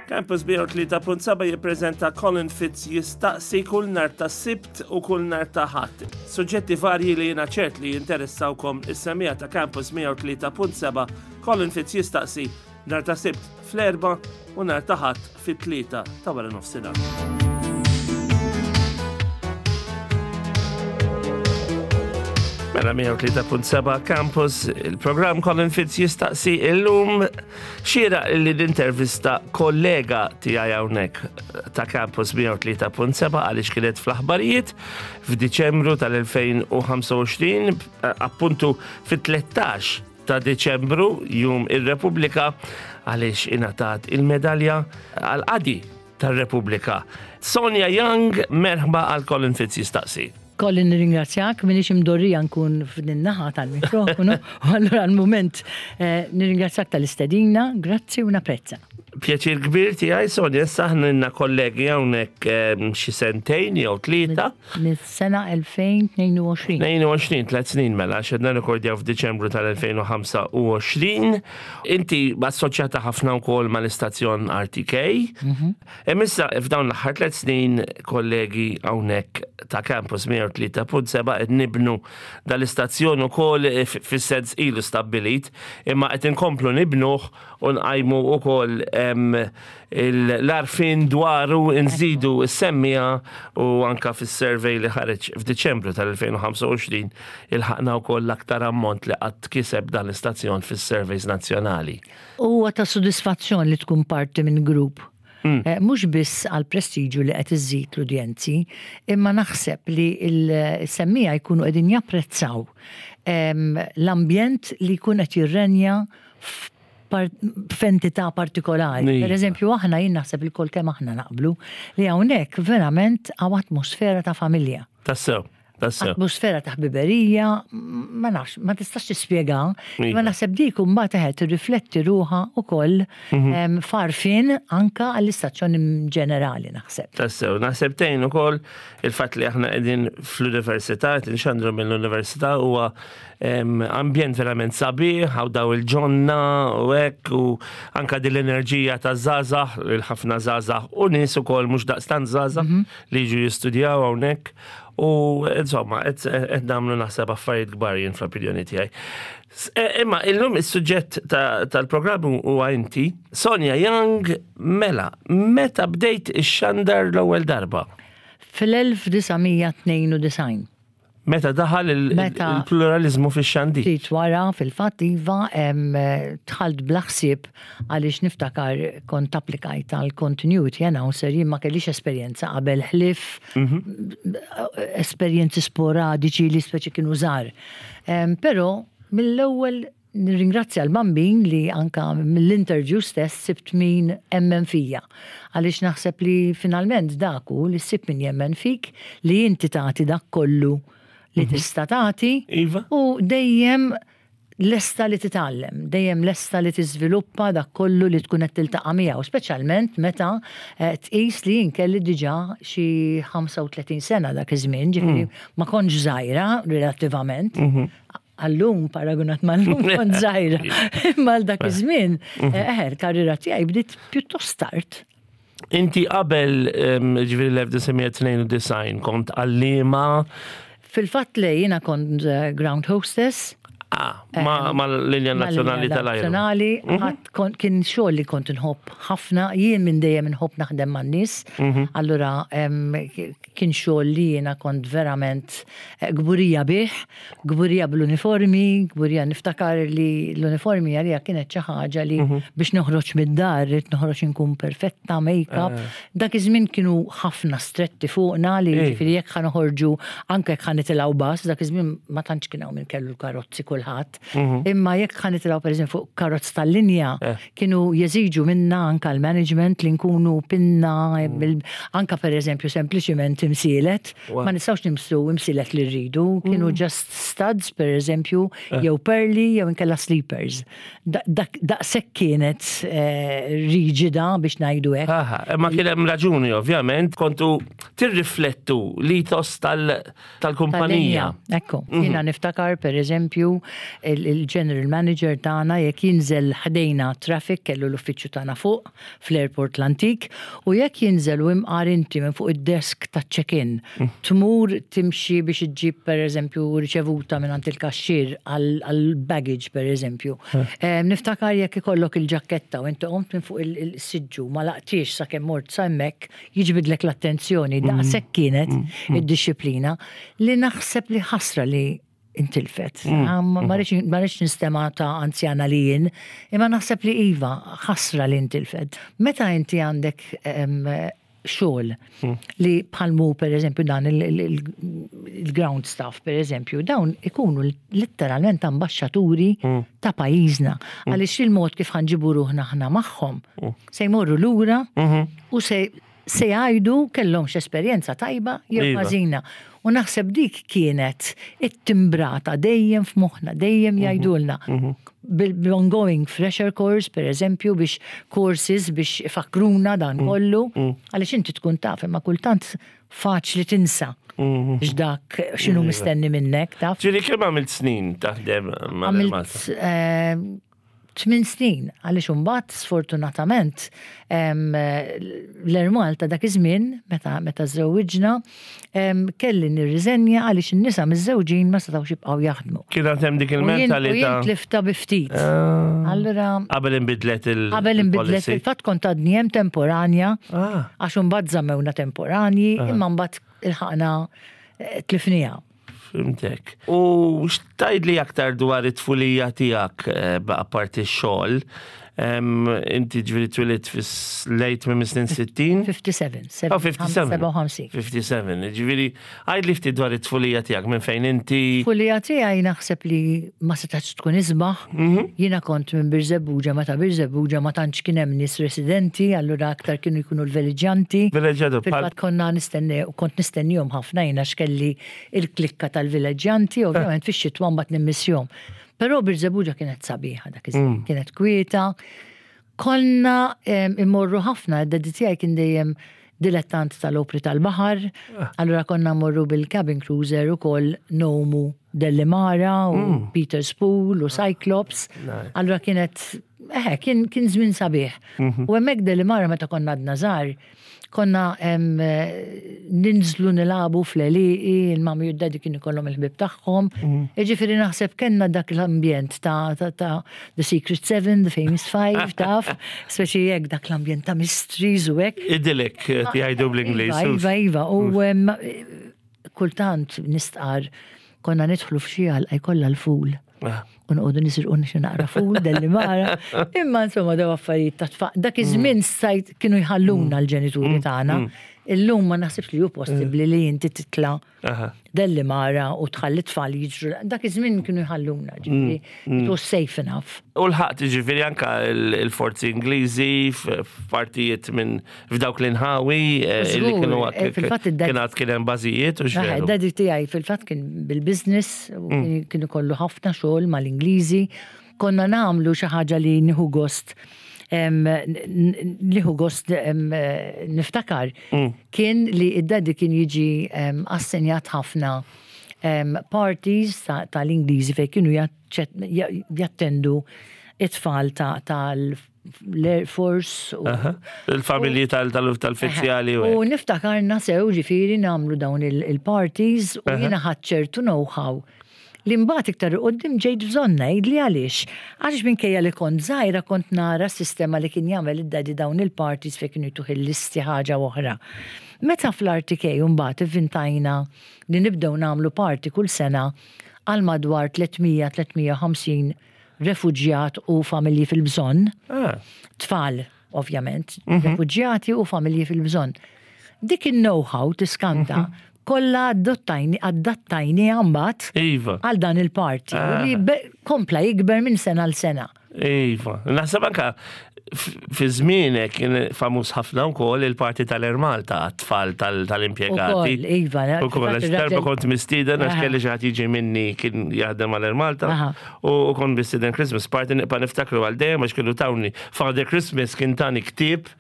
Campus 103.7 jippreżenta Colin Fitz jistaqsi kull nhar ta' Sibt u kull nhar ta' Ħadd. Suġġetti varji li jiena ċert li jinteressawkom is-semmiegħa ta' Campus 103.7 Colin Fitz jistaqsi nhar ta' Sibt fl-erba' u nhar ta' Ħadd fit-tlieta ta' wara nofsinhar. Mela 103.7 Campus, il-programm Colin Fitz jistaqsi illum Xieraq li nintervista kollega tiegħi hawnhekk ta' Campus 103.7 għaliex kienet fl-aħbarijiet f'Diċembru tal-2025, appuntu fit-13 ta' Diċembru, jum ir-Repubblika, għaliex ingħatat il-medalja għal-qadi tar-Repubblika. Sonia Young, merħba għal Colin Fitz jistaqsi. Colin nirringrazzjak, minix imdorrija nkun f'din naħa tal-mikrofonu, u allura għal-mument eh, nirringrazzjak tal-istedina, grazzi u napprezza. Pjaċir kbir tiegħi Sonja, issa aħna kollegi hawnhekk eh, xi sentejn jew tlieta. Mis-sena 2022. 22, tliet snin mela, xedna rekordjaw f'Diċembru tal-2025. Inti assoċjata ħafna wkoll mal-istazzjon RTK. Mhm. Hemm issa f'dawn l-aħħar tliet snin kollegi hawnhekk ta' Campus 103.7 qed nibnu dal-istazzjon ukoll fis-sens ilu stabbilit, imma qed inkomplu nibnuh u nqajmu wkoll l-għarfien dwaru nżidu s-semmiegħa u anka fis-survey li ħareġ f'Diċembru tal-2025 ilħaqna wkoll l-aktar ammont li qatt kiseb dan l-istazzjon fis-surveys nazzjonali. Huwa ta' sodisfazzjon li tkun parti minn grupp. Mm. Eh, mhux biss għal prestiġu li qed iżżid l-udjenzi, imma naħseb li l-semmija jkunu qegħdin japprezzaw ehm, l-ambjent li jkun qed jirrenja f'entità partikolari. Per eżempju, aħna jien naħseb il-kol kemm aħna naqblu li hawnhekk verament hawn atmosfera ta' familja. Tassew. Tassew. Atmosfera ta' ħbiberija, ma nafx, ma tistax tispjega, ma iva. naħseb dik imbagħad eħe tirrifletti ruħha ukoll mhm. farfin anka għall-istazzjon ġenerali naħseb. Tassew, naħseb tgħin ukoll il-fatt li aħna qegħdin fl-università, qed inxandru mill-università huwa ambjent verament sabiħ, għaw daw il-ġonna u hekk u anka din l-enerġija ta' żgħażagħ, il-ħafna żgħażagħ u nies ukoll mhux daqstant żgħażagħ mhm. li jiġu jistudjaw hawnhekk u insomma qed nagħmlu naħseb affarijiet kbar jien fl-opinjoni tiegħi. E, imma illum is-suġġett tal-programm huwa inti, Sonja Young, mela, meta bdejt ix-xandar l-ewwel darba? Fil-1992. Meta daħal il-pluralizmu fix-xandir. Ftit wara, fil-fatt, iva, dħalt bla ħsieb għaliex niftakar kont applikajt għal continuity announcer jien ma kellix esperjenza qabel ħlief mhm. esperjenzi sporadiċi li speċi kienu żgħar. Però mill-ewwel Nirringrazzja l-Bambin li anka mill-interview stess sibt min emmen fija. Għaliex naħseb li finalment dak hu li ssib min jemmen fik, li inti tagħti dak kollu li mhm. tista' tagħti iva. u dejjem lesta li titgħallem, dejjem lesta li tiżviluppa dak kollu li tkun qed tiltaqa' miegħu, speċjalment meta eh, tqis li jien kelli diġà xi 35 sena dak iż-żmien, ġifieri mm. ma kontx żgħira relattivament. Mhm. Għallum, paragunat mal-lum, kont żgħira. Imma għal dak iż-żmien, mhm. eh, eh, l-karriera tiegħi bdiet pjuttost tard. Inti qabel ġifieri l-1992 kont għallima? Fil-fatt le jiena kont eh, ground hostess. Ah, ma, ma l-linja nazzjonali tal-ajru. Nazzjonali, mhm. kien xogħol li kont nħobb ħafna, jien minn dejjem nħobb naħdem man-nies. Mhm. Allura kien xogħol li jiena kont verament eh, kburija bih, kburija bl-uniformi, kburija niftakar li l-uniformi għalija kienet xi ħaġa li mhm. biex noħroġ mid-dar, rrid noħroġ inkun perfetta, make-up. Eh. Dak iż-żmien kienu ħafna stretti fuqna li ġifieri jekk ħa noħorġu anke jekk ħa nitilgħu bus, dak iż-żmien ma tantx kien hawn min kellu l-karozzi kulħadd. Mhm. Imma jekk ħa nitilgħu pereżempju fuq karozz tal-linja, eh. kienu jeżiġu minna anka l-management li nkunu pinna, mm. anka pereżempju sempliċiment imsielet, ma nistgħux nimsu imsielet li rridu, kienu mm. just studs pereżempju, eh. jew perli jew inkella sleepers. Daqshekk kienet eh, riġida biex ngħidu hekk. Aha, imma kien hemm raġuni ovvjament kontu tirriflettu l-ethos tal- tal-kumpanija. Ekku, mhm. jiena niftakar per eżempju. il-general manager tagħna jekk jinżel ħdejna traffic kellu l-uffiċċju tagħna fuq fl-airport l-antik u jekk jinżel u imqar inti minn fuq id-desk taċ-check-in tmur timxi biex iġġib pereżempju riċevuta mingħand il-kaxxier għall-baggage pereżempju. Niftakar jekk ikollok il-ġakketta u inti qomt minn fuq il-siġġu ma laqtiex sakemm mort sa hemmhekk jiġbidlek l-attenzjoni daqshekk kienet id-dixxiplina li naħseb li ħasra li intilfet. Ma rridx nistema ta' anzjana li jien, imma naħseb li iva, ħasra li intilfet. Meta inti għandek xogħol li bħalmu per eżempju dan il-ground staff per eżempju, dawn ikunu letteralment ambaxxaturi ta' pajjiżna. Għaliex il-mod kif ħanġibu ruħna aħna magħhom se jmorru lura u se se jgħidu kellhomx esperjenza tajba jew iva. ħażina. U naħseb dik kienet it-timbrata dejjem f'moħħna, dejjem mhm. jgħidulna. Mhm. Bil-ongoing fresher course, per eżempju, biex courses biex ifakruna dan mhm. kollu, għaliex inti tkun taf, imma kultant faċli tinsa. X'dak x'inhu iva. mistenni minnek, taf. Ġieli kemm għamilt snin taħdem ma' Malta? Eh, 8 snin, għaliex imbagħad sfortunatament l-Air Malta dak iż-żmien meta meta żewwiġna kelli nirriżenja għaliex in-nisa miżżewġin ma setgħux jibqgħu jaħdmu. Kien għad hemm dik il-mentalità. U jien tlifta bi ftit. Ah. Allura. Qabel inbidlet il. Qabel inbidlet il-fatt kont għadni hemm temporanja. Ah. Għax imbagħad żammewna temporanji, ah. imma mbagħad ilħaqna eh, tlifniha. Fimtek. U x'tajdli aktar dwar it-tfulija tiegħek eh, apparti x-xogħol? Inti ġifieri twilidt fis-lejt minn snin 60? 57. 57. 57. Ġifieri għajdli ftit dwar it-tfulija tiegħek minn fejn inti. Tfulija tiegħi naħseb li ma setax tkun isbaħ. Mhm. Jiena kont minn Birżebbuġa meta Birżebbuġa ma tantx kien hemm nies residenti, allura aktar kienu jkunu l-veleġġjanti. Veleġġjatu. Fil-fatt konna nistenni kont nistennihom ħafna jiena x'kelli il-klikka tal-villeġġjanti, ovvjament fix-xitwa mbagħad nimmissjhom. Però Birżebbuġa kienet sabiħa dak iż-żmien, mm. kienet kwieta. Konna immorru ħafna, id-daddy tiegħi kien dejjem dilettant tal-opri tal-baħar, ah. allura konna mmorru bil-cabin cruiser ukoll nomu Dellimara u mm. Peter Spool u Cyclops. Allura kienet, eh, kien, kien żmien sabiħ. Mhm. U hemmhekk Dellimara meta konna għadna żgħar, Konna ninżlu nilagħbu fl-għelieqi, il-mami u d-daddy kienu jkollhom il-ħbieb tagħhom. Mhm. Jiġifieri naħseb kellna dak l-ambjent ta' ta' The Secret Seven, The Famous Five, taf, speċi hekk dak l-ambjent ta' mysteries u hekk. Idyllic, eh, jgħidu bl-Ingliż. Iva, iva, iva. U kultant nistqar konna nidħlu f'xi għalqa jkollha l-ful. Ah. U noqogħdu nisirqu xi naqra ful delli mara. Imma insomma daw affarijiet ta' tfaq. Dak iż-żmien mm. sajt kienu jħalluna mm. l-ġenituri mm. tagħna. Illum ma naħsibx li hu possibbli li inti titla' delli mara u tħalli tfal jiġru. Dak iż-żmien kienu jħalluna, ġifieri it was safe enough. U l-ħaqt ġifieri anka l-forzi Ingliżi f'partijiet minn f'dawk l-inħawi eh, li kienu eh, fil-fatt kien għad kien hemm bażijiet u xejn. Daddy tiegħi fil-fatt kien bil-business u mm. kien ikollu ħafna xogħol mal-Ingliżi. Konna nagħmlu xi ħaġa li nieħu gost nieħu gost niftakar mm. kien li id-daddy kien jiġi assenjat ħafna parties tal-Ingliżi fejn kienu jattendu it-tfal tal l-Air Force. Il-familji tal-fizzjali. U niftakarna sew ġifiri namlu dawn il-parties u jiena ħadd ċertu know-how li mbagħad iktar qudiem ġejt bżonn ngħidli għaliex. Għaliex minkejja li kont żgħira kont nara s-sistema li kien jagħmel id-daddy dawn il-parties fejn kienu jtuh il-listi ħaġa oħra. Meta fl-RTK mbagħad ivvintajna li nibdew nagħmlu party kull sena għal madwar 300-350 refuġjat u familji fil-bżonn. Ah. Tfal, ovvjament, mhm. refuġjati u familji fil-bżonn. Dik il-know-how tiskanta mhm. kollha adottajni adattajni mbagħad iva. għal dan il-parti ah. li kompla jikber minn sena l sena. Iva, naħseb anka Fi żmienek kien famuż ħafna wkoll il-parti tal-Air Malta għat-tfal tal-impjegati. Ukoll, iva. Ukoll, għax darba kont mistieden għax kelli xi ħadd jiġi minni kien jaħdem għal Air Malta u kont mistieden Christmas party nibqa' niftakru għal dejjem għax kienu tawni Father Christmas kien tani ktieb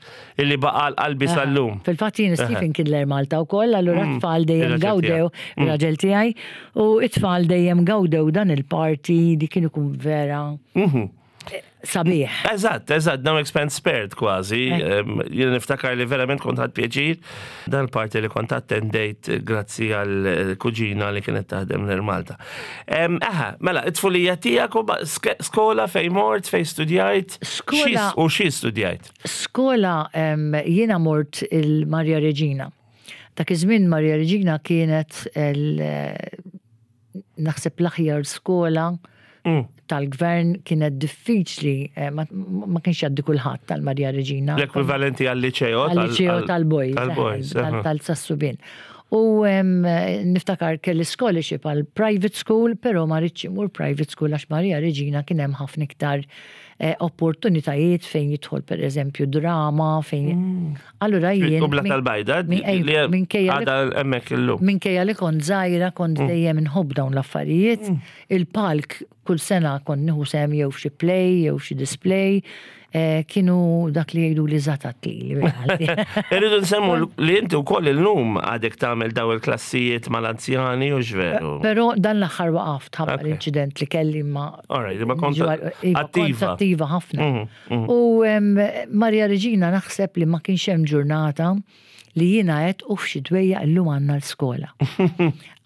illi baqa' għal qalbi sal-lum. Fil-fatt jien Stephen kien l-Air Malta wkoll, allura mm. t-tfal dejjem gawdew, mm. ir-raġel tiegħi, u t-tfal dejjem gawdew dan il-party li kien ikun vera. Mhm. Sabiħ. Eżatt, eżatt, no expense spared kważi. Jien niftakar li verament kont ħadd pjaċir. Dan parti li kont attendejt grazzi għal eh, kuġina li kienet taħdem l Malta. Aha, mela, it-tfulija tiegħek u skola fej mort, fej studjajt. Skola. U xi studjajt? Skola jiena mort il-Marja Reġina. Dak iż-żmien Marja Reġina kienet naħseb l-aħjar skola mm. tal-gvern kienet diffiċli, eh, ma kienx jgħaddi kulħadd tal-Marja Reġina. L-ekwivalenti għal-liċeo tal-liċeo tal-boys, eh, tal-sassubin. U niftakar kelli scholarship għal private school, pero ma rridx imur private school għax Marja Reġina kien hemm ħafna iktar eh, opportunitajiet fejn jidħol per eżempju drama, fejn. Mm. Allura jien. Kubla tal-bajda, minkejja għadha hemmhekk illum. Minkejja li kont żgħira kont mm. dejjem inħobb dawn l-affarijiet. Mm. Il-palk kull sena kont nieħu sehem jew f'xi play jew f'xi display. Eh, kienu dak li jgħidu li zatat li. Irridu nsemmu li inti wkoll illum għadek tagħmel daw il-klassijiet mal-anzjani u x'veru. Però dan l-aħħar waqaft ħabba l-inċident li kelli ma. Alright, ma kont iva, attiva. Attiva ħafna. Mhm. Mm. U Maria Regina naħseb li ma kienx hemm ġurnata li jiena għedt u f'xi dwejja illum għandna l-skola.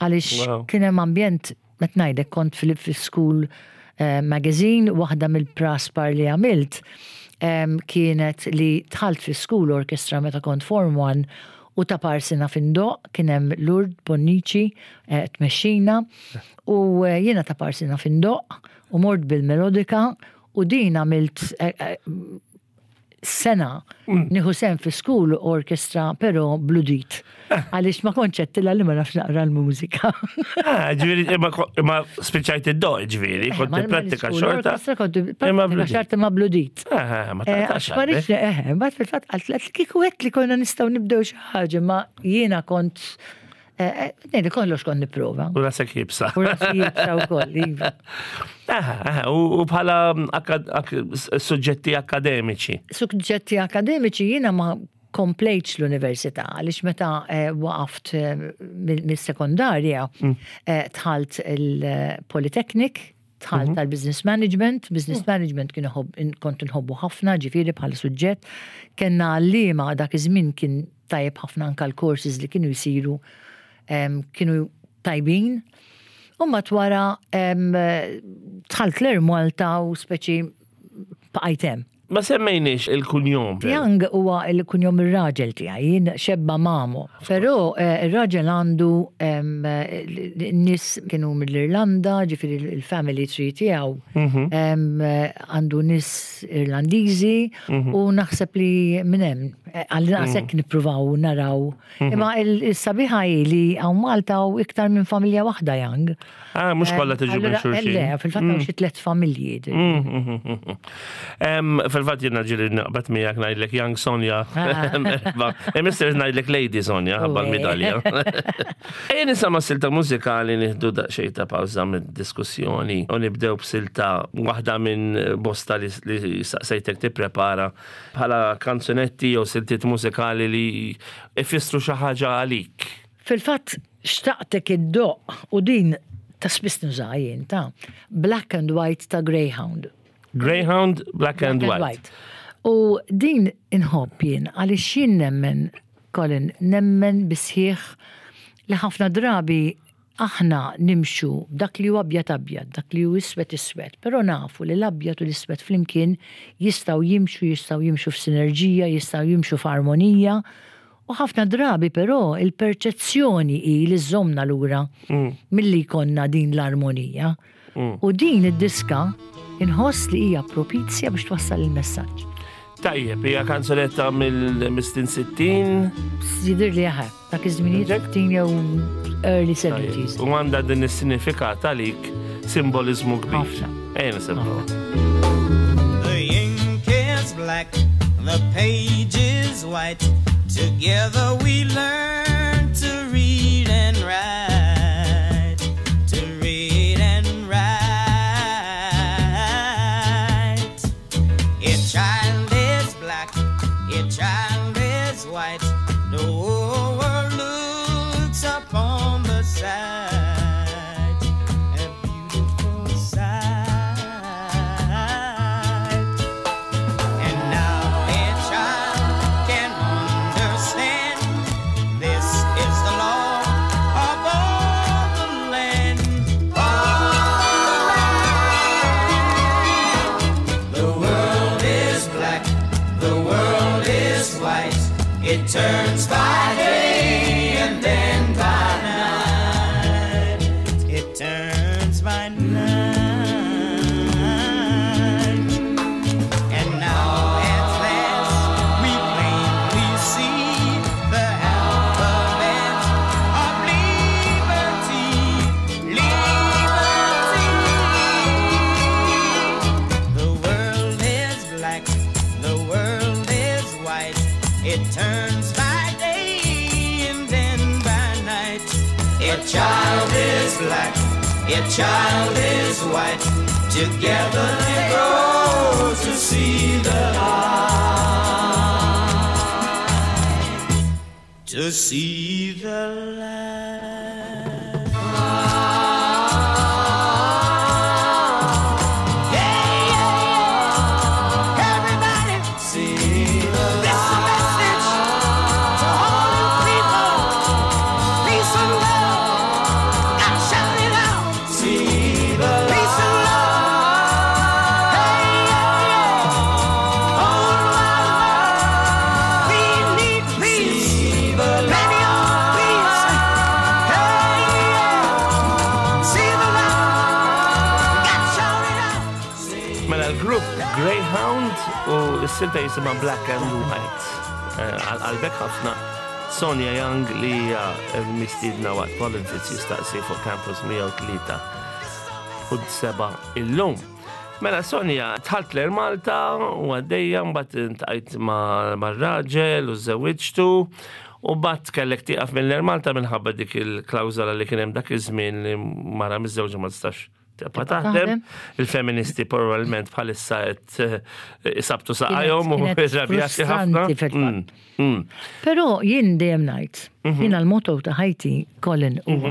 Għaliex kien hemm ambjent qed ngħidlek kont fil-school eh, magazine, waħda mill-praspar li għamilt kienet li dħalt fi school orchestra meta kont form 1 u ta' parsina findoq kien hemm Lourdes Bonnici eh, tmexxina u eh, jiena ta' parsina findoq u mort bil-melodika U din għamilt eh, eh, sena mm. nieħu sem fi school orchestra però bludit. Eh. Għaliex ma konċettila li ma nafx naqra l-mużika. Ah, ġifieri imma spiċċajt id-do, ġifieri, kont prattika xorta. Kont prattika xorta ma bludit. Ma taqtax. Ma rridx eh, mbagħad fil-fatt qalt kieku għedt li konna nistgħu nibdew xi ħaġa ma jiena kont Eh, eh, Nejdi kollox kont nipprova. U rasek jibsa. U rasek jibsa u koll, iva. U bħala suġġetti akademiċi. Suġġetti akademiċi jiena ma komplejtx l-università, għaliex meta eh, waqaft mis-sekondarja mm. tħalt il-Polytechnic, tħalt mhm. tal-business management, business mm. management kien kont nħobbu ħafna, ġifieri bħala suġġett, kellna għalliema dak iż-żmien kien tajjeb ħafna anka l-courses li kienu jsiru kienu tajbin. U mbagħad wara dħalt l-Air Malta u speċi bqajt hemm. Ma semmejniex il-kunjom. Young huwa il-kunjom ir-raġel tiegħi, jien xebba mamo. Però eh, ir-raġel għandu nies kienu mill-Irlanda, ġifieri il-family tree tiegħu mhm. għandu nies Irlandiżi mhm. u naħseb li minn hemm eh, għal naqsek mhm. nippruvaw naraw. Imma il-sabiħa hi li hawn Malta u iktar minn familja waħda Young. Ah, mhux kollha tiġu minn xulxin. Le, fil-fatt hawn mm. xi tliet familji. Mm, mm, fil-fatt jiena ġieli naqbad miegħek ngħidlek Young Sonja. Ah. Mister ngħidlek Lady Sonja ħabba l-midalja. Ejja nisama silta mużikali nieħdu daqsxejn ta' pawża mid-diskussjoni u nibdew b'silta waħda minn bosta li saqsejtek tipprepara bħala kanzunetti jew siltiet mużikali li ifissru xi ħaġa għalik. Fil-fatt xtaqtek iddoqq u din ta' spiss nużaha jien ta' Black and White ta' Greyhound. Greyhound, Black and White. U din inħobb jien għaliex jien nemmen, Colin, nemmen bisħieħ li ħafna drabi aħna nimxu dak li hu abjad abjad, dak li hu iswed iswed, però nafu li l-abjad u l-iswed flimkien jistgħu jimxu, jistgħu jimxu f'sinerġija, jistgħu jimxu f'armonija U ħafna drabi però il-perċezzjoni hi li żżommna lura milli jkollna din l-armonija. U din id-diska inħoss li hija propizja biex twassal il-messaġġ. Tajjeb, hija kanzunetta mill-snin 60. Jidher li aħe, dak iż-żminijiet 60 jew early 70s. U għandha din is-sinifikat għalik simboliżmu kbir. Ħafna. Ejja nisimgħu. The ink is black. black, the page is white. Together we learn to read and write. To read and write. A child is black, a child is white. The whole world looks upon the sight, a beautiful sight. And now a child can understand this is the law of all the land. All the land. The world is black, the world is white. It turns by day and then by night. It turns by night. And now at last we plainly see the alphabet of liberty. Liberty. The world is black, the world is white. It turns by day and then by night. A child is black, a child is white. Together they grow to see the light. To see the light. Yeah, yeah, yeah. Everybody, see the this is a message to all you people. Peace and love. Gotta shout it out. See the peace and love. Hey, yeah, yeah. All around the world, we need peace. Plenty of peace. Hey, yeah. See the light. Gotta shout it out. Mela l-grupp Greyhound u s-silta jisimha Black and White. Għal-qalbek ħafna Sonia Young li hija mistiedna waqt Colin Fitz jistaqsi fuq Campus 103 u 7 illum. Mela Sonja, dħalt l-Air Malta u għaddejja mbagħad iltqajt mar-raġel u żewwiġtu u mbagħad kellek tieqaf mill-Air Malta minħabba dik il-klawżola li kien hemm dak iż-żmien li mara miżżewġa ma tistax tibqa' taħdem. Taħdem. Il-feministi probabbilment bħalissa qed isabtu saqajhom u Kienet irrabjati ħafna. frustranti fil-fatt. Però jien dejjem ngħid, jiena l-motto ta' ħajti, Colin, huwa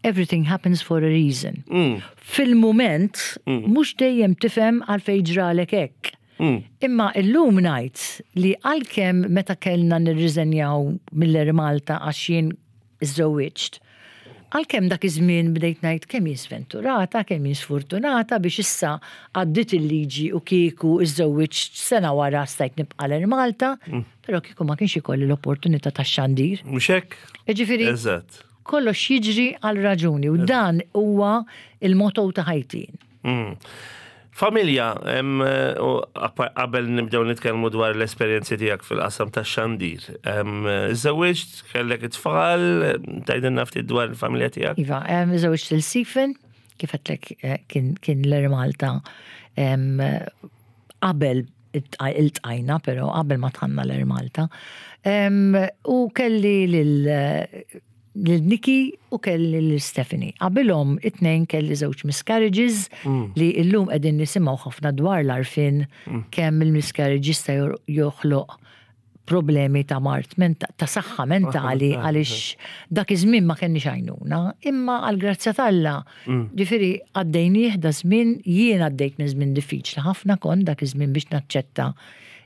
everything happens for a reason. Fil-moment, mhux dejjem tifhem għalfejn ġralek hekk. Imma illum ngħid li għalkemm meta kellna nirriżenjaw mill-Air Malta għax jien iżżewwiġt, għalkemm dak iż-żmien bdejt ngħid kemm jien sventurata, kemm jien sfortunata biex issa għaddiet il-liġi u kieku iżżewwiġt sena wara stajt nibqa' l-Air Malta, però kieku ma kienx ikolli l-opportunità tax-xandir. Mhux hekk? Jiġifieri, kollox jiġri għal raġuni u dan huwa il-motto ta' ħajti. Familja, u qabel nibdew nitkellmu dwar l-esperjenzi tiegħek fil-qasam tax-xandir. Żewwiġt, kellek it-tfal, tgħidilna ftit dwar il-familja tiegħek? Iva, żewwiġt lil Stephen, kif għedtlek kien l-Air Malta qabel iltqajna, però qabel ma dħalna l-Air Malta. U kelli lil Nikki u kelli lil Stephanie. Qabilhom it-tnejn kelli żewġ miscarriages li illum qegħdin nisimgħu ħafna dwar l-għarfien kemm il-miscarriage jista' joħloq problemi ta' mard ta' saħħa mentali għaliex dak iż-żmien ma kenniex għajnuna, imma għall-grazzja t'Alla. Ġifieri għaddejnieh da żmien, jien għaddejt minn żmien diffiċli ħafna kont dak iż-żmien biex naċċetta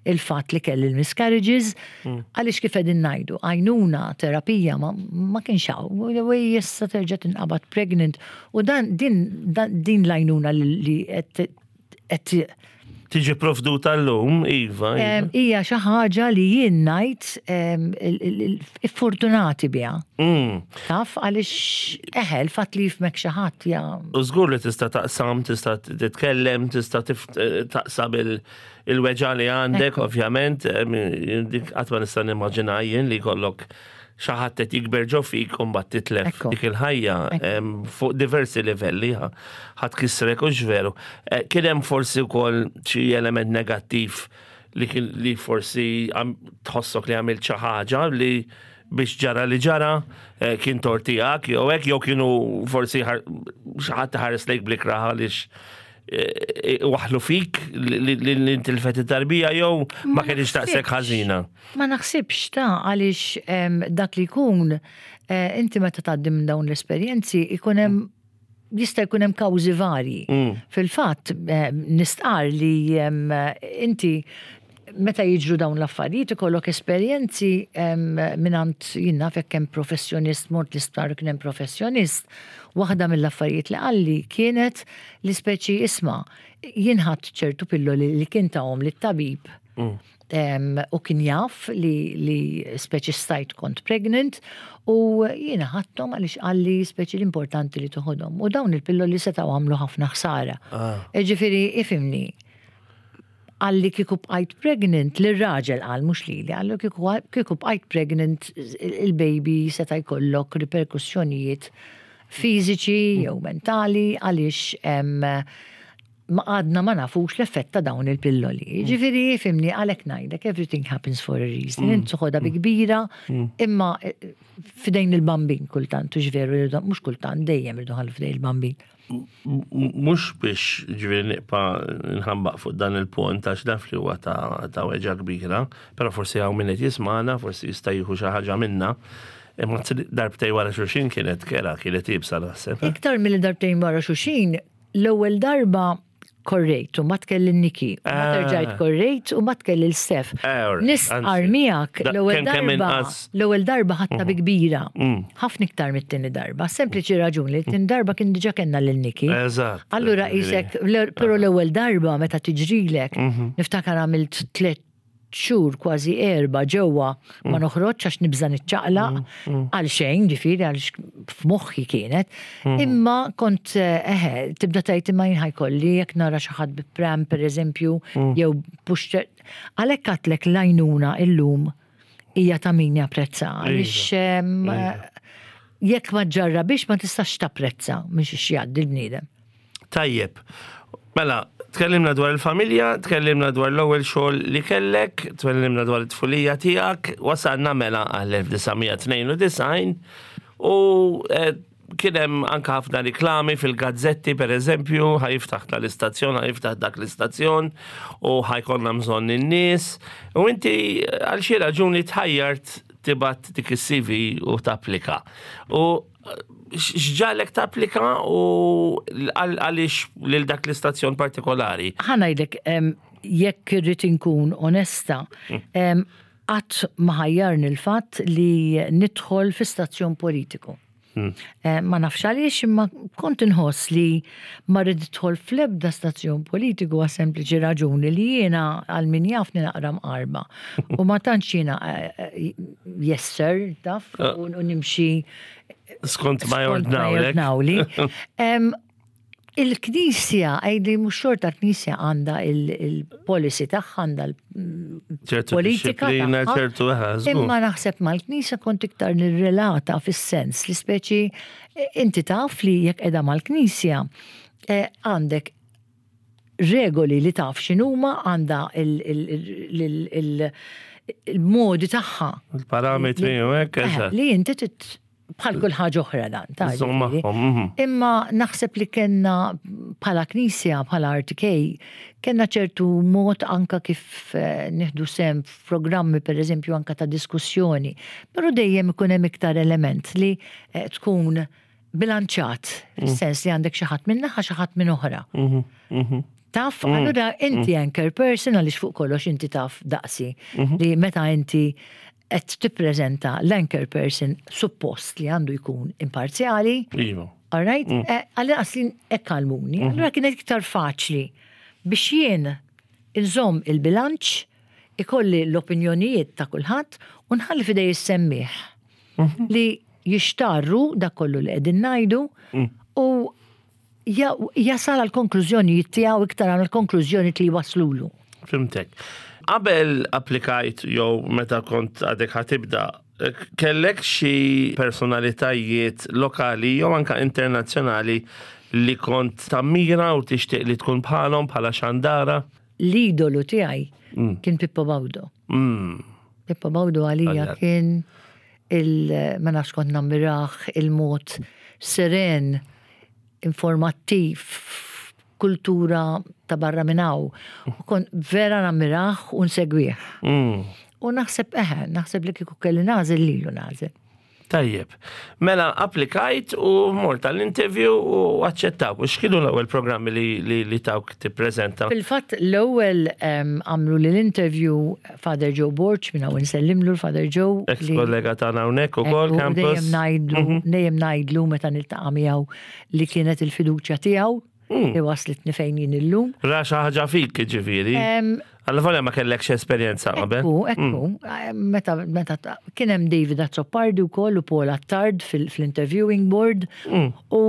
il-fatt li kelli l-miscarriages, għaliex kif qegħdin ngħidu, għajnuna, terapija ma kienx hawn, u issa terġa' tinqabad pregnant u dan din l-għajnuna li qed tiġi provduta llum, iva, iva. Hija xi ħaġa li jien ngħid fortunati biha. Taf għaliex eħe l-fatt li jifmek xi ħadd ja. U żgur li tista' taqsam, tista' titkellem, tista' taqsam il-weġgħa li għandek, ovvjament, dik qatt ma nista' nimmaġina jien li jkollok xi ħadd qed jikber ġo fik u mbagħad titlef dik il-ħajja, fuq diversi livelli, ħadd kisrek u x'veru. Kien hemm forsi wkoll xi element negattiv li kien li forsi tħossok li għamilt xi ħaġa li biex ġara li ġara eh, kien tort tiegħek jew hekk jew kienu forsi xi ħadd ħares lejk bl-ikrah għaliex eh, waħlu fik li intilfet it-tarbija jew ma kienx taqsek ħażina. Ma naħsibx ta' għaliex dak li jkun eh, inti meta tgħaddi minn dawn l-esperjenzi ikun hemm jista' jkun hemm kawżi varji. Fil-fatt nistqar li inti meta jiġru dawn l-affarijiet ikollok esperjenzi mingħand jien naf jekk hemm professjonist mort l-isptar u kien hemm professjonist, waħda mill-affarijiet li qalli kienet li speċi isma' jien ħadt ċertu pilloli li kien tahom lit-tabib u kien jaf li, li speċi stajt kont pregnant u jiena ħadthom għaliex qalli speċi l-importanti li toħodhom. U dawn il-pilloli setgħu għamlu ħafna ħsara. Ah. Ġifieri ifimni, qalli kieku bqajt pregnant, li raġel qal mhux lili, qallu kieku bqajt pregnant il-baby seta' jkollok riperkussjonijiet fiżiċi jew mentali għaliex ma għadna ma nafux l-effett ta' dawn il-pilloli. Ġifieri, fimni, għalhekk ngħidlek, everything happens for a reason. Mm. Int toħodha bi kbira, mm. imma eh, fidejn il-bambin kultant, u veru, mhux kultant, dejjem irdu ħallu fidejn il-bambin. Mhux biex ġifieri niqpa nħambaq fuq dan il-punt għax naf li huwa ta' weġa kbira, però forsi hawn min qed jismagħna, forsi jista' jieħu xi ħaġa minna. Imma darbtej wara xulxin kienet kera, kienet ibsa naħseb. Eh? Iktar milli darbtejn wara xulxin, L-ewwel darba korrejt u ma tkelli Niki, u ma ah. terġajt korrejt u ma tkelli l-Stef. Eh, Nistqar miegħek l-ewwel darba, l-ewwel darba ħadta bi mhm. kbira. Mm. Ħafna iktar mit-tieni darba. Sempliċi raġun li t-tieni darba kien diġà kellna lil Niki. Eżatt. Allura qisek, però l-ewwel darba meta tiġrilek, mhm. niftakar għamilt tliet xhur kważi erba' ġewwa ma mm. noħroġx għax nibża' niċċaqlaq mm, mm. għal xejn ġifieri għal f'moħħi kienet. Imma kont eh, eħe tibda tgħid imma jien ħajkolli jekk nara xi ħadd bi pram pereżempju jew pushchair. Għalhekk għadtlek l-għajnuna illum hija ta' min japprezza għaliex iva. jekk ma ġġarrabhiex ma tistax tapprezza minn xiex jgħaddi l-bniedem. Tajjeb. Mela, tkellimna dwar il-familja, tkellimna dwar l-ewwel xogħol li kellek, tkellimna dwar it-tfulija tiegħek, wasalna mela għall-1992 u eh, kien hemm anke ħafna riklami fil-gazzetti pereżempju, ħajiftaħ tal-istazzjon, ħajiftaħ dak l-istazzjon u ħajkonna bżonn in-nies. U inti għal xi raġuni tħajjart tibgħat dik is-CV u tapplika. U x'ġalek tapplika u għaliex lil dak l-istazzjon partikolari? Ħa ngħidlek, jekk irrid inkun onesta, mm. qatt ma ħajjarni l-fatt li nidħol fi stazzjon politiku. Mm. Eh, ma nafx għaliex imma kont inħoss li ma rrid idħol fl-ebda stazzjon politiku għas sempliċi raġuni li jiena għal min jafni naqra mqarba. U ma tantx jiena eh, eh, yes sir, taf, u nimxi Skont ma jordnawli. Il-Knisja, għajdi mux xorta l-Knisja għanda il-policy tagħha, għanda l-politika. ċertu Imma naħseb mal-Knisja kont iktar nirrelata fis-sens li speċi eh, inti taf li jekk qiegħda mal-Knisja eh, għandek regoli li taf x'inhuma għandha il-modi tagħha. Il-parametri u hekk, eh, eżatt. Li inti bħal kull ħaġa oħra dan. Ta' mhm. Imma naħseb li kellna bħala knisja, bħala RTK, kellna ċertu mod anka kif eh, nieħdu sem f'programmi pereżempju anka ta' diskussjoni, però dejjem ikun hemm iktar element li eh, tkun bilanċat, mm. fis-sens li għandek xi ħadd minn naħa xi ħadd minn oħra. Mhm, mhm. Taf, mm. allura inti mm. anchor person għaliex fuq kollox inti taf daqsi li meta inti qed tippreżenta l-anchor person suppost li għandu jkun imparzjali. Iva. All right? Eh, għalli li hekk għallmuni. Allura kienet iktar faċli biex jien inżomm il-bilanċ, ikolli l-opinjonijiet ta' kulħadd u nħalli fidej is-semmiegħ. Mhm. Li jixtarru dak kollu li qegħdin ngħidu mm. u jasal għal konklużjonijiet tiegħu iktar għal konklużjoni li waslulu. Fimtek. Qabel applikajt jew meta kont għadek ħatibda, kellek xi personalitajiet lokali jew anka internazzjonali li kont tammira u tixtieq li tkun bħalhom bħala xandara? l-idolu tiegħi kien Pippo Baudo. Pippo Baudo għalija kien il ma nafx kont nammirah il-mod seren, informattiv, kultura ta' barra minn hawn. U kont vera nammirah u nsegwih. U naħseb eħe, naħseb li kieku kelli nagħżel lilu nagħżel. Tajjeb. Mela applikajt u mort għall-interview u aċċettawk. U x'kienu l-ewwel programmi li, li, li tawk tippreżenta? Fil-fatt l-ewwel għamlu li l-interview Father Joe Borg minn hawn insellimlu l-Father Joe. Ex kollega tagħna hawnhekk ukoll campus. Dejjem ngħidlu, dejjem ngħidlu meta niltaqa' miegħu li kienet il-fiduċja tiegħu li waslitni fejn jien illum. Ra xi ħaġa fik, ġifieri. Alla volja ma kellekx esperjenza qabel. Ekku, ekku. Meta, meta kien hemm David Azzopardi wkoll u Paul Attard fil-interviewing board. U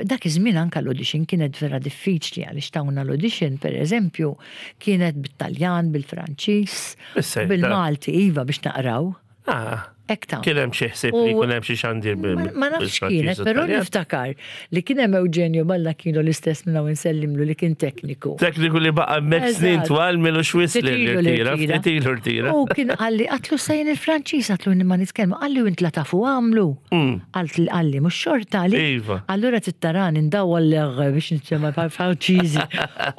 dak iż-żmien anke l-audition kienet vera diffiċli għaliex tawna l-audition, per eżempju, kienet bit-Taljan, bil-Franċiż, bil-Malti, iva biex naqraw. Ah. Hekk ta' Kien hemm xi ħsieb li jkun hemm xi xandir bil Ma nafx kienet, però niftakar li kien hemm Eugenio Ballacchino l-istess minn hawn insellimlu li kien tekniku. Tekniku li baqa' hemmhekk snin twal milu xwiss li rtira, ftit ilu rtira. U kien qalli qatlu sejn il-Franċiż qatlu ma nitkellmu, qalli u int la tafu għamlu. Qalt li qalli mhux xorta li. Iva. Allura tittarani ndawwar l-r biex nitkellem Franċiżi.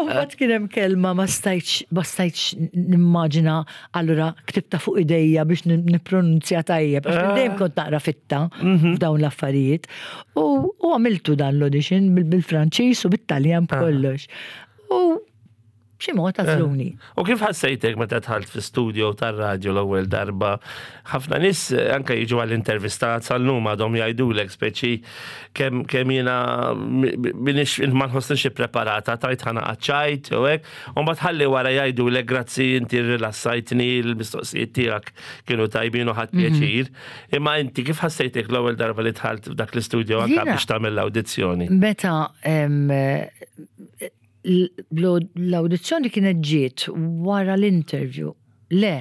U mbagħad kien hemm kelma ma stajtx ma stajtx nimmaġina Allura ktibta fuq idejja biex nippronunzja tajjeb, għax ah. dejjem kont naqra fitta mhm. f'dawn l-affarijiet. U għamiltu dan l-audition bil-Franċiż u bit-Taljan ah. b'kollox. U b'xi mod għażluni. Eh. U kif ħassejtek meta dħalt fi studio tar-radju l-ewwel darba? Ħafna nies eh, anke jiġu għall-intervista sal-lum għadhom jgħidulek speċi kemm kemm jiena minix ma nħossnix ippreparata tajt ħana qaċċajt u hekk. U mbagħad ħalli wara jgħidulek grazzi inti rrilassajtni l-mistoqsijiet tiegħek kienu tajbin u ħadt pjaċir. Imma inti kif ħassejtek l-ewwel darba li dħalt f'dak l-istudju anke biex tagħmel l-awdizzjoni? Meta l-awdizzjoni kienet ġiet wara l-interview. Le,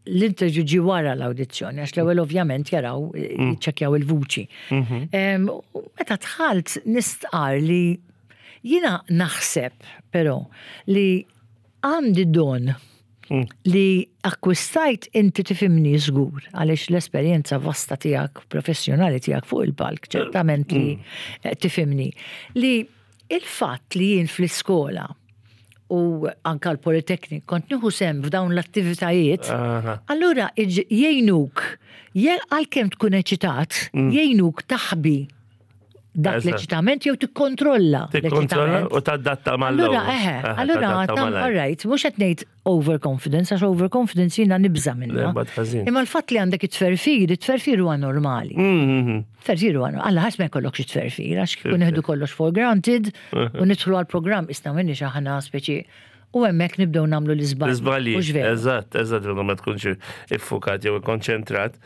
l-interview ġi wara l-awdizzjoni, għax l-ewwel ovvjament jaraw, jiċċekkjaw il-vuċi. Meta dħalt nistqar li jiena naħseb però li għandi don li akkwistajt inti tifhimni żgur għaliex l-esperjenza vasta tiegħek professjonali tiegħek fuq il-palk ċertament li tifhimni li il-fatt li jien fl-iskola u anka l-Politeknik kont nieħu sehem f'dawn l-attivitajiet, allura jgħinuk, għalkemm tkun eċitat, jgħinuk taħbi dak l-eċitament jew tikkontrolla. Tikkontrolla u tadatta mal Allura, eħe, allura, all right, mhux qed ngħid overconfidence, għax overconfidence jiena nibża' minnha. Imma l-fatt li għandek it-tferfir, it-tferfir huwa normali. Tferfir huwa normali. Alla ħares ma jkollokx it-tferfir, għax kieku nieħdu kollox for granted u nidħlu għall-programm isna minniex aħna speċi u hemmhekk nibdew nagħmlu l-iżbalji. L-iżbalji. Eżatt, eżatt, ma tkunx iffukat jew ikkonċentrat.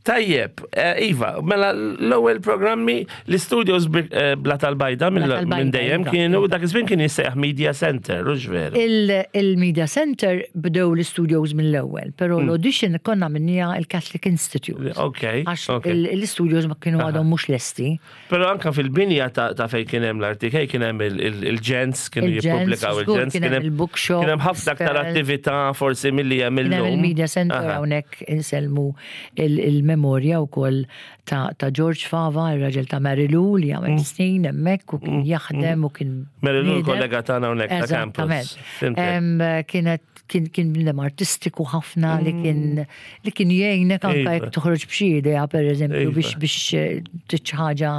Tajjeb, eh, Iva, mela l-ewwel programmi l-studios eh, Bla tal-Bajda minn dejjem iva. kienu dak iż-żmien kien jissejjaħ Media Center, u veru. Il-Media Center bdew l-studios mill-ewwel, però l-audition konna minnija il-Catholic Institute. Ok. Għax l-studios ma kienu għadhom mhux lesti. Però anka fil-binja ta' fejn kien hemm l-RTK kien hemm il-ġens kienu jippubblikaw il-ġens. Kien hemm il-bookshop. Kien hemm ħafna aktar attività forsi milli hemm illum. Kien hemm il-media center hawnhekk insellmu il-memorja wkoll ta' George Fava, ir-raġel ta' Mary Lou li għamel snin hemmhekk u kien jaħdem u kien. Mary Lou kollega tagħna hawnhekk ta' campus. Kienet kien kien bniedem artistiku ħafna li kien li kien jgħinek anke jekk toħroġ b'xi idea pereżempju biex biex titx ħaġa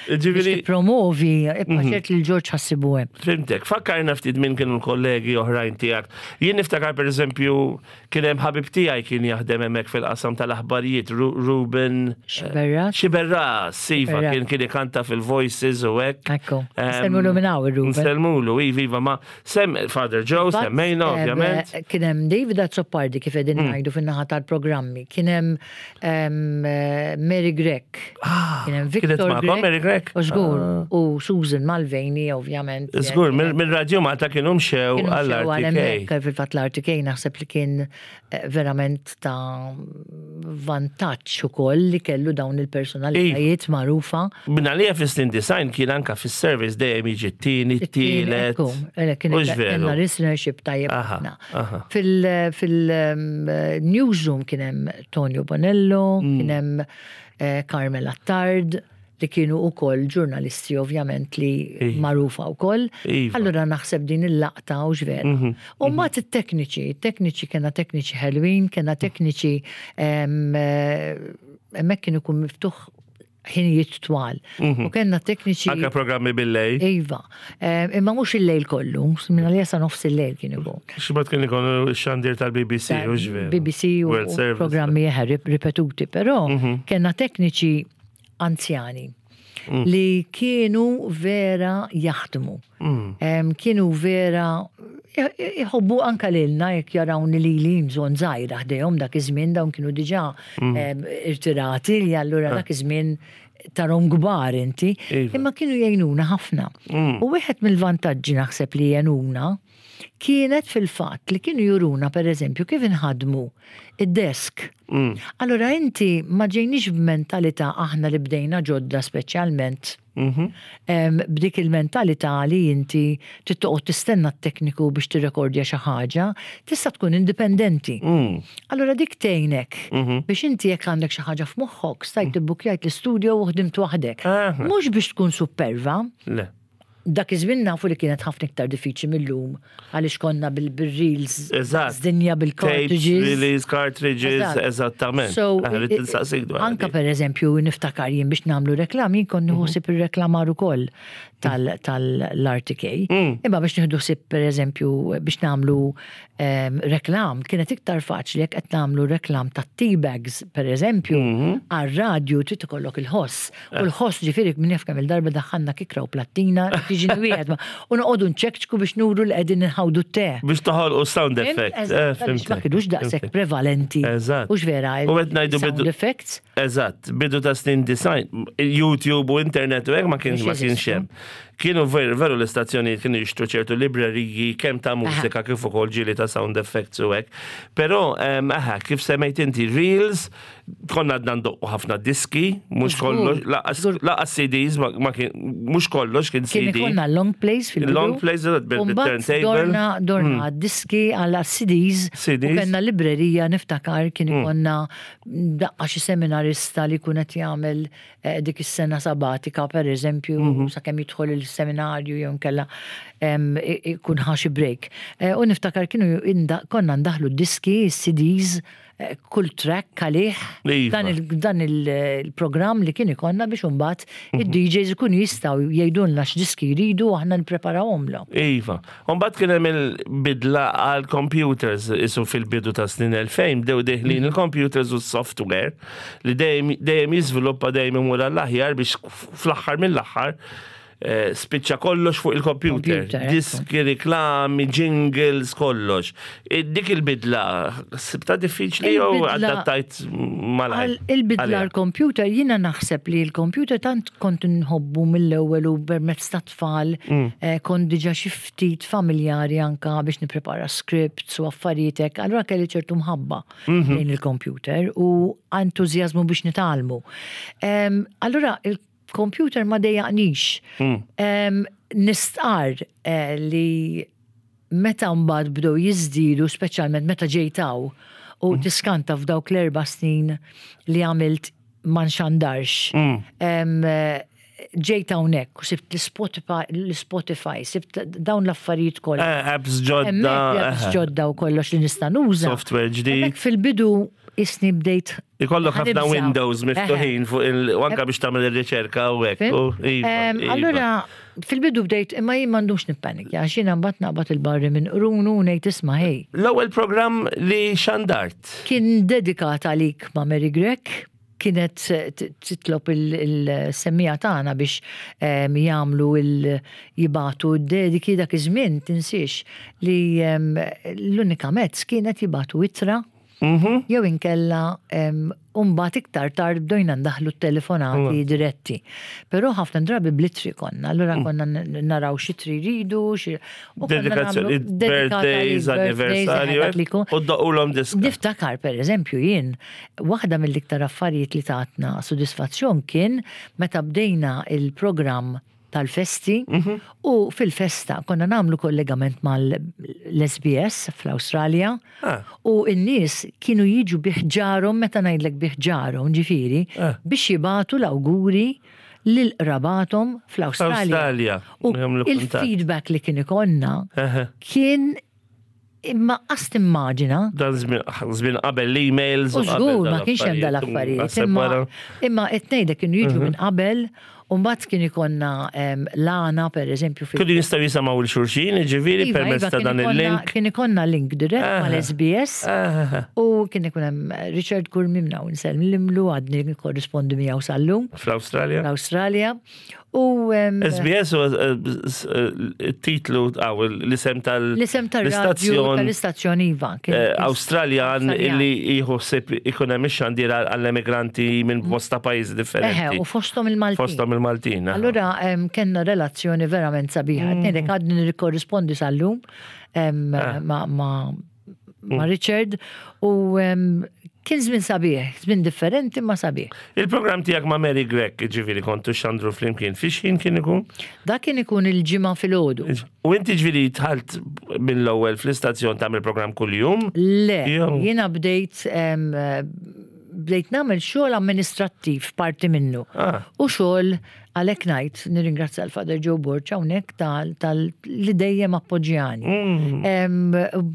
biex tippromovi, ibqa' ċert li l-Ġorġ ħassibu hemm. Fimtek, fakkarna ftit minn kienu l-kollegi oħrajn tiegħek. Jien niftakar pereżempju kien hemm ħabib tiegħi kien jaħdem hemmhekk fil-qasam tal-aħbarijiet, Ruben Xiberras. Xiberras, iva, kien kien ikanta fil-Voices u hekk. Ekku. Nsellmulu minn hawn ir-Ruben. Nsellmulu, iva, iva, ma Sem, Father Joe, semmejna, ovvjament. Ovvjament. Kien hemm David Azzopardi kif qegħdin ngħidu fin-naħa tal-programmi, kien hemm Mary Grech, kien hemm Kienet Victor magħkom Grech, Mary Grech? U żgur, u Susan Mulvaney ovvjament. Żgur, mill-Radio Malta kienu mxew Kienu mxew għal għall-RTK. hemmhekk, fil-fatt l-RTK naħseb li kien verament ta' vantaġġ ukoll li kellu dawn il-personalitajiet magħrufa. Minna li fis-snin design kien anka fis-service dejjem jiġi t-tieni, t-tielet. Ekku, kien Mhux veru. kellna listenership tajjeb ħafna. Fil-newsroom kien hemm Tonio Bonello, kien hemm Carmel Attard, li kienu ukoll ġurnalisti ovvjament li magħrufa wkoll. Allura naħseb din il-laqta u vera. U mbagħad it-tekniċi, it-tekniċi kellna tekniċi ħelwin, kellna tekniċi hemmhekk kien ikun miftuħ ħinijiet twal. U kellna tekniċi. Anka programmi bil-lejl. Iva. Imma mhux il-lejl kollu, minna li jasa nofs il-lejl kien ikun. X'bad kien ikun xandir tal-BBC, u veru. BBC u World Service. programmi eħe ripetuti, però kellna tekniċi anzjani li kienu vera jaħdmu. Kienu vera jħobbu anka lilna jekk jarawni li li bżonn żgħira ħdejhom dak iż-żmien, dawn kienu diġà irtirati li allura dak iż-żmien tarhom kbar inti, imma kienu jgħinuna ħafna. U wieħed mill-vantaġġi naħseb li jgħinuna kienet fil-fatt li kienu juruna per eżempju kif inħadmu id-desk. Allura inti ma ġejniex b'mentalità aħna li bdejna ġodda speċjalment. B'dik il-mentalità li inti trid toqgħod tistenna t-tekniku biex tirrekordja xi ħaġa, tista' tkun indipendenti. Allura dik tgħinek biex inti jekk għandek xi ħaġa f'moħħok, stajt tibbukkjajt l-istudio u ħdimt waħdek. Mhux biex tkun superva. Le. Dak iż-żmien nafu li kienet ħafna iktar diffiċli mill-lum għaliex konna bil-reels, dinja bil-cartridges. Tapes, release, cartridges, eżattament. So, Aħna rrid tinsaqsik dwar anka di. per eżempju niftakar jien biex nagħmlu reklam, jien kont nieħu ħsieb ir-reklamar ukoll tal-RTK. Imma biex nieħdu ħsieb per eżempju biex nagħmlu reklam, kienet iktar faċli jekk qed nagħmlu reklam ta' tea bags per eżempju, għar-radju trid ikollok il-ħoss. U l-ħoss ġifieri minn jaf kemm il-darba daħħalna kikra u plattina, tiġi wieħed u noqogħdu nċekċku biex nuru li qegħdin inħawdu t-te. Biex toħolqu sound Fhimt? effect. Eżatt, għaliex ma Fhimtek. kinux daqshekk Fhimtek. prevalenti. Hux vera, U qed ngħidu sound bidu effects. Eżatt, bidu ta' snin design, YouTube u internet u hekk ma kienx Mhux ma kienx jeżistu. hemm. Kienu veru l-istazzjonijiet kienu jixtru ċertu libreriji kemm ta' mużika kif ukoll ġieli ta' sound effects u hekk. Però aha, kif semmejt inti reels, konna għadna ndoqqu ħafna diski, mhux kollox, laqas CDs, ma kien, mhux kollox kien Kien CD. ikollna long plays fil-bidu. Long plays, eżatt, U mbagħad bil-turntable. Dorna diski għal CDs. U CDs. kellna librerija niftakar kien ikollna daqqa xi seminarista li kun qed jagħmel dik is-sena sabatika per eżempju, sakemm jidħol il-seminarju jew inkella ikun ħa xi break. U niftakar kienu konna ndaħlu diski, CDs, kull track għalih dan il-programm li kien ikonna biex imbagħad id-DJs ikunu jistgħu jgħidulna x'diski jridu u aħna nippreparawhomlhom. Iva. Mbagħad kien hemm il-bidla għal computers isu fil-bidu ta' snin 2000 bdew deħlin il-computers u s-software li dejjem jiżviluppa, dejjem imur għall-aħjar biex fl-aħħar mill-aħħar spiċċa kollox fuq il-computer. Computer, ekku. Diski, reklami, jingles, kollox. Dik il-bidla, sibta diffiċli jew adattajt malajr? Il-bidla Għalija. l-computer, jiena naħseb li l-computer tant kont nħobbu mill-ewwel u permezz ta' tfal, kont diġà xi ftit familjari anka biex nipprepara scripts u affarijiet hekk, allura kelli ċertu mħabba lejn il-computer u entużjażmu biex nitgħallmu. Allura il-computer ma dejjaqnix. Nistqar li meta mbagħad bdew jiżdiedu, speċjalment meta ġejtaw u tiskanta f'dawk l-4 snin li għamilt ma nxandarx. Ġejt hawnhekk u sibt l-Spotify, sibt dawn l-affarijiet kollha. Apps ġodda, Hemmhekk apps ġodda u kollox li nista' nuża. Software ġdid. Hemmhekk fil-bidu isni bdejt Ikollok ħafna ħanibża. Windows miftuħin fuq il-, u anka biex tagħmel ir-riċerka u hekk. Fim? U, iva, iva. Allura, fil-bidu bdejt, imma jien m'għandux nippanikja, għax jiena mbagħad naqbad il-barri minn qrunu u ngħid isma' ħej. L-ewwel programm li xandart? Kien dedikat għalik ma' Mary Grech. kienet titlob il-semmiegħa tagħna biex jagħmlu jibagħtu d-dediki dak iż-żmien tinsiex li l-unika mezz kienet jibagħtu ittra jew inkella u mbagħad iktar tard bdejna ndaħħlu t-telefonati diretti. Però ħafna drabi bl-ittri konna, allura konna naraw x'ittri jridu, xi u konna Dedikazzjoni, nagħmlu dedikata birthdays, li birthdays, anniversarju, dak li jkun. u ddoqqulhom diska. Niftakar per eżempju jien, waħda mill-iktar affarijiet li tatna sodisfazzjon kien meta bdejna il-programm tal-festi u fil-festa konna nagħmlu kollegament mal-SBS fl-Awstralja u n-nies kienu jiġu biħġarhom meta ngħidlek biħġarhom ġifieri biex jibagħtu l-awguri lil qrabathom fl-Awstralja. Awstralja, U jagħmlu kuntatt. il-feedback li kien ikollna kien imma qas timmaġina. Dan żmien qabel l-emails. U żgur ma kienx hemm dal-affarijiet. Naħseb Imma wara. imma qed ngħidlek kienu jiġu minn qabel u mbagħad kien ikollna l-għana pereżempju fil- Kienu jistgħu jisimgħu l xulxin, jiġifieri Iva, permezz iva, ta' kien dan ikollna- il-link. Kien ikollna link dirett mal-SBS Aha. u kien ikun hemm Richard Curmi minn hawn insellimlu għadni nikkorrispondi miegħu sal-lum Fl-Awstralja. l-Awstralja. U SBS u titlu għaw l-isem tal- l-isem tal-radju l-istazzjon tal-istazzjon Iva. kien- Awstraljan Awstraljan. illi jħossib ikun hemm ix-xandir għall-emigranti minn bosta pajjiżi Eħe, differenti. u fosthom il-Maltin. Fosthom il-Maltin. aha. Allura kellna relazzjoni verament sabiħa. Ngħidlek għadni nirkorrispondi sal-lum ma' ma' Richard u kien żmien sabiħ, żmien differenti ma' sabiħ. Il-programm tiegħek ma' Mary Grech, ġifieri kontu xandru flimkien, fi xħin kien ikun? Dak kien ikun il-ġimgħa filgħodu. U inti ġifieri dħalt mill-ewwel fl-istazzjon tagħmel programm kuljum? Le, Jew- jiena bdejt bdejt nagħmel xogħol amministrattiv parti minnu. U xogħol għalhekk ngħid nirringrazzja l-Father Joe Borg hawnhekk tal, tal li dejjem appoġġjani.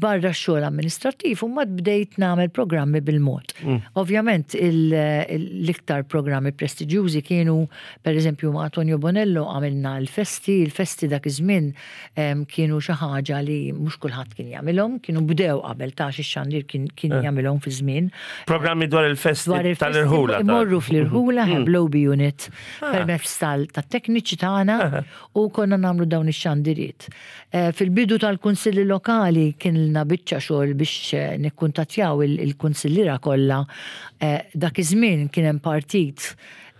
Barra x-xogħol amministrattiv u mbagħad bdejt nagħmel programmi bil-mod. Ovvjament l-iktar programmi prestiġjużi kienu pereżempju ma' Antonio Bonello għamilna l-festi, il-festi dak iż-żmien kienu xi ħaġa li mhux kulħadd kien jagħmilhom, kienu bdew qabel ta' xi xandir kien kien jagħmilhom fi żmien. Programmi dwar il-festi Dwar il-festi tal-irħula. Imorru fl-irħula, Blobi Unit, permezz tat-tekniċi tagħna u konna nagħmlu dawn ix-xandiriet. Fil-bidu tal-kunsilli lokali kien lna biċċa xogħol biex nikkuntattjaw il-kunsilliera kollha. Dak iż-żmien kien hemm partit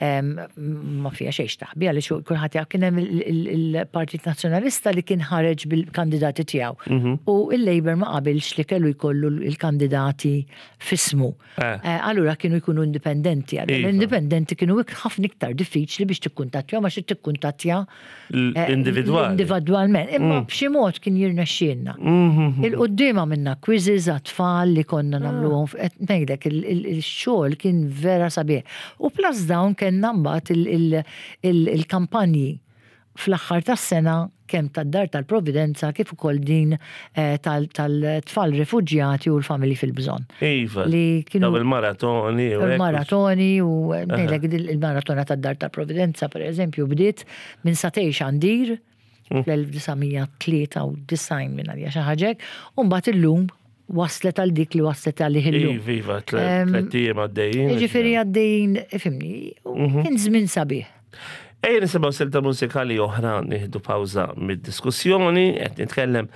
ma fija xejn taħbi għaliex kulħadd jaf kien hemm il-Partit Nazzjonalista li kien ħareġ bil-kandidati tiegħu. U il-Labour ma qabilx li kellu jkollu l-kandidati f'ismu. Allura kienu jkunu indipendenti. Allura L-indipendenti kienu ħafna iktar diffiċli biex tikkuntattja ma xi tikkuntattja Individwali. Individwalment. Imma b'xi mod kien jirnexxielna. Il-quddiem għamilna quizzes għat-tfal li konna nagħmluhom qed ngħidlek il-xogħol kien vera sabiħ. U plus dawn kellna mbagħad il-kampanji fl-aħħar tas-sena kemm tad-Dar tal-Providenza kif ukoll din tal-tfal rifuġjati u l-familji fil-bżonn. Iva. Li kienu Daw il-maratoni u hekk. Il-maratoni u ngħidlek il-maratona tad-Dar tal-Providenza per eżempju bdiet minn satej xandir fl-1993 minn għalija xi ħaġa hekk, u mbagħad illum waslet għal dik li waslet għalih illum. Iva, iva, tlett ijiem għaddejjin. Jiġifieri għaddejjin, ifhimni, u kien żmien sabiħ. Ejja nisimgħu silta mużikali oħra, nieħdu pawża mid-diskussjoni, qed nitkellem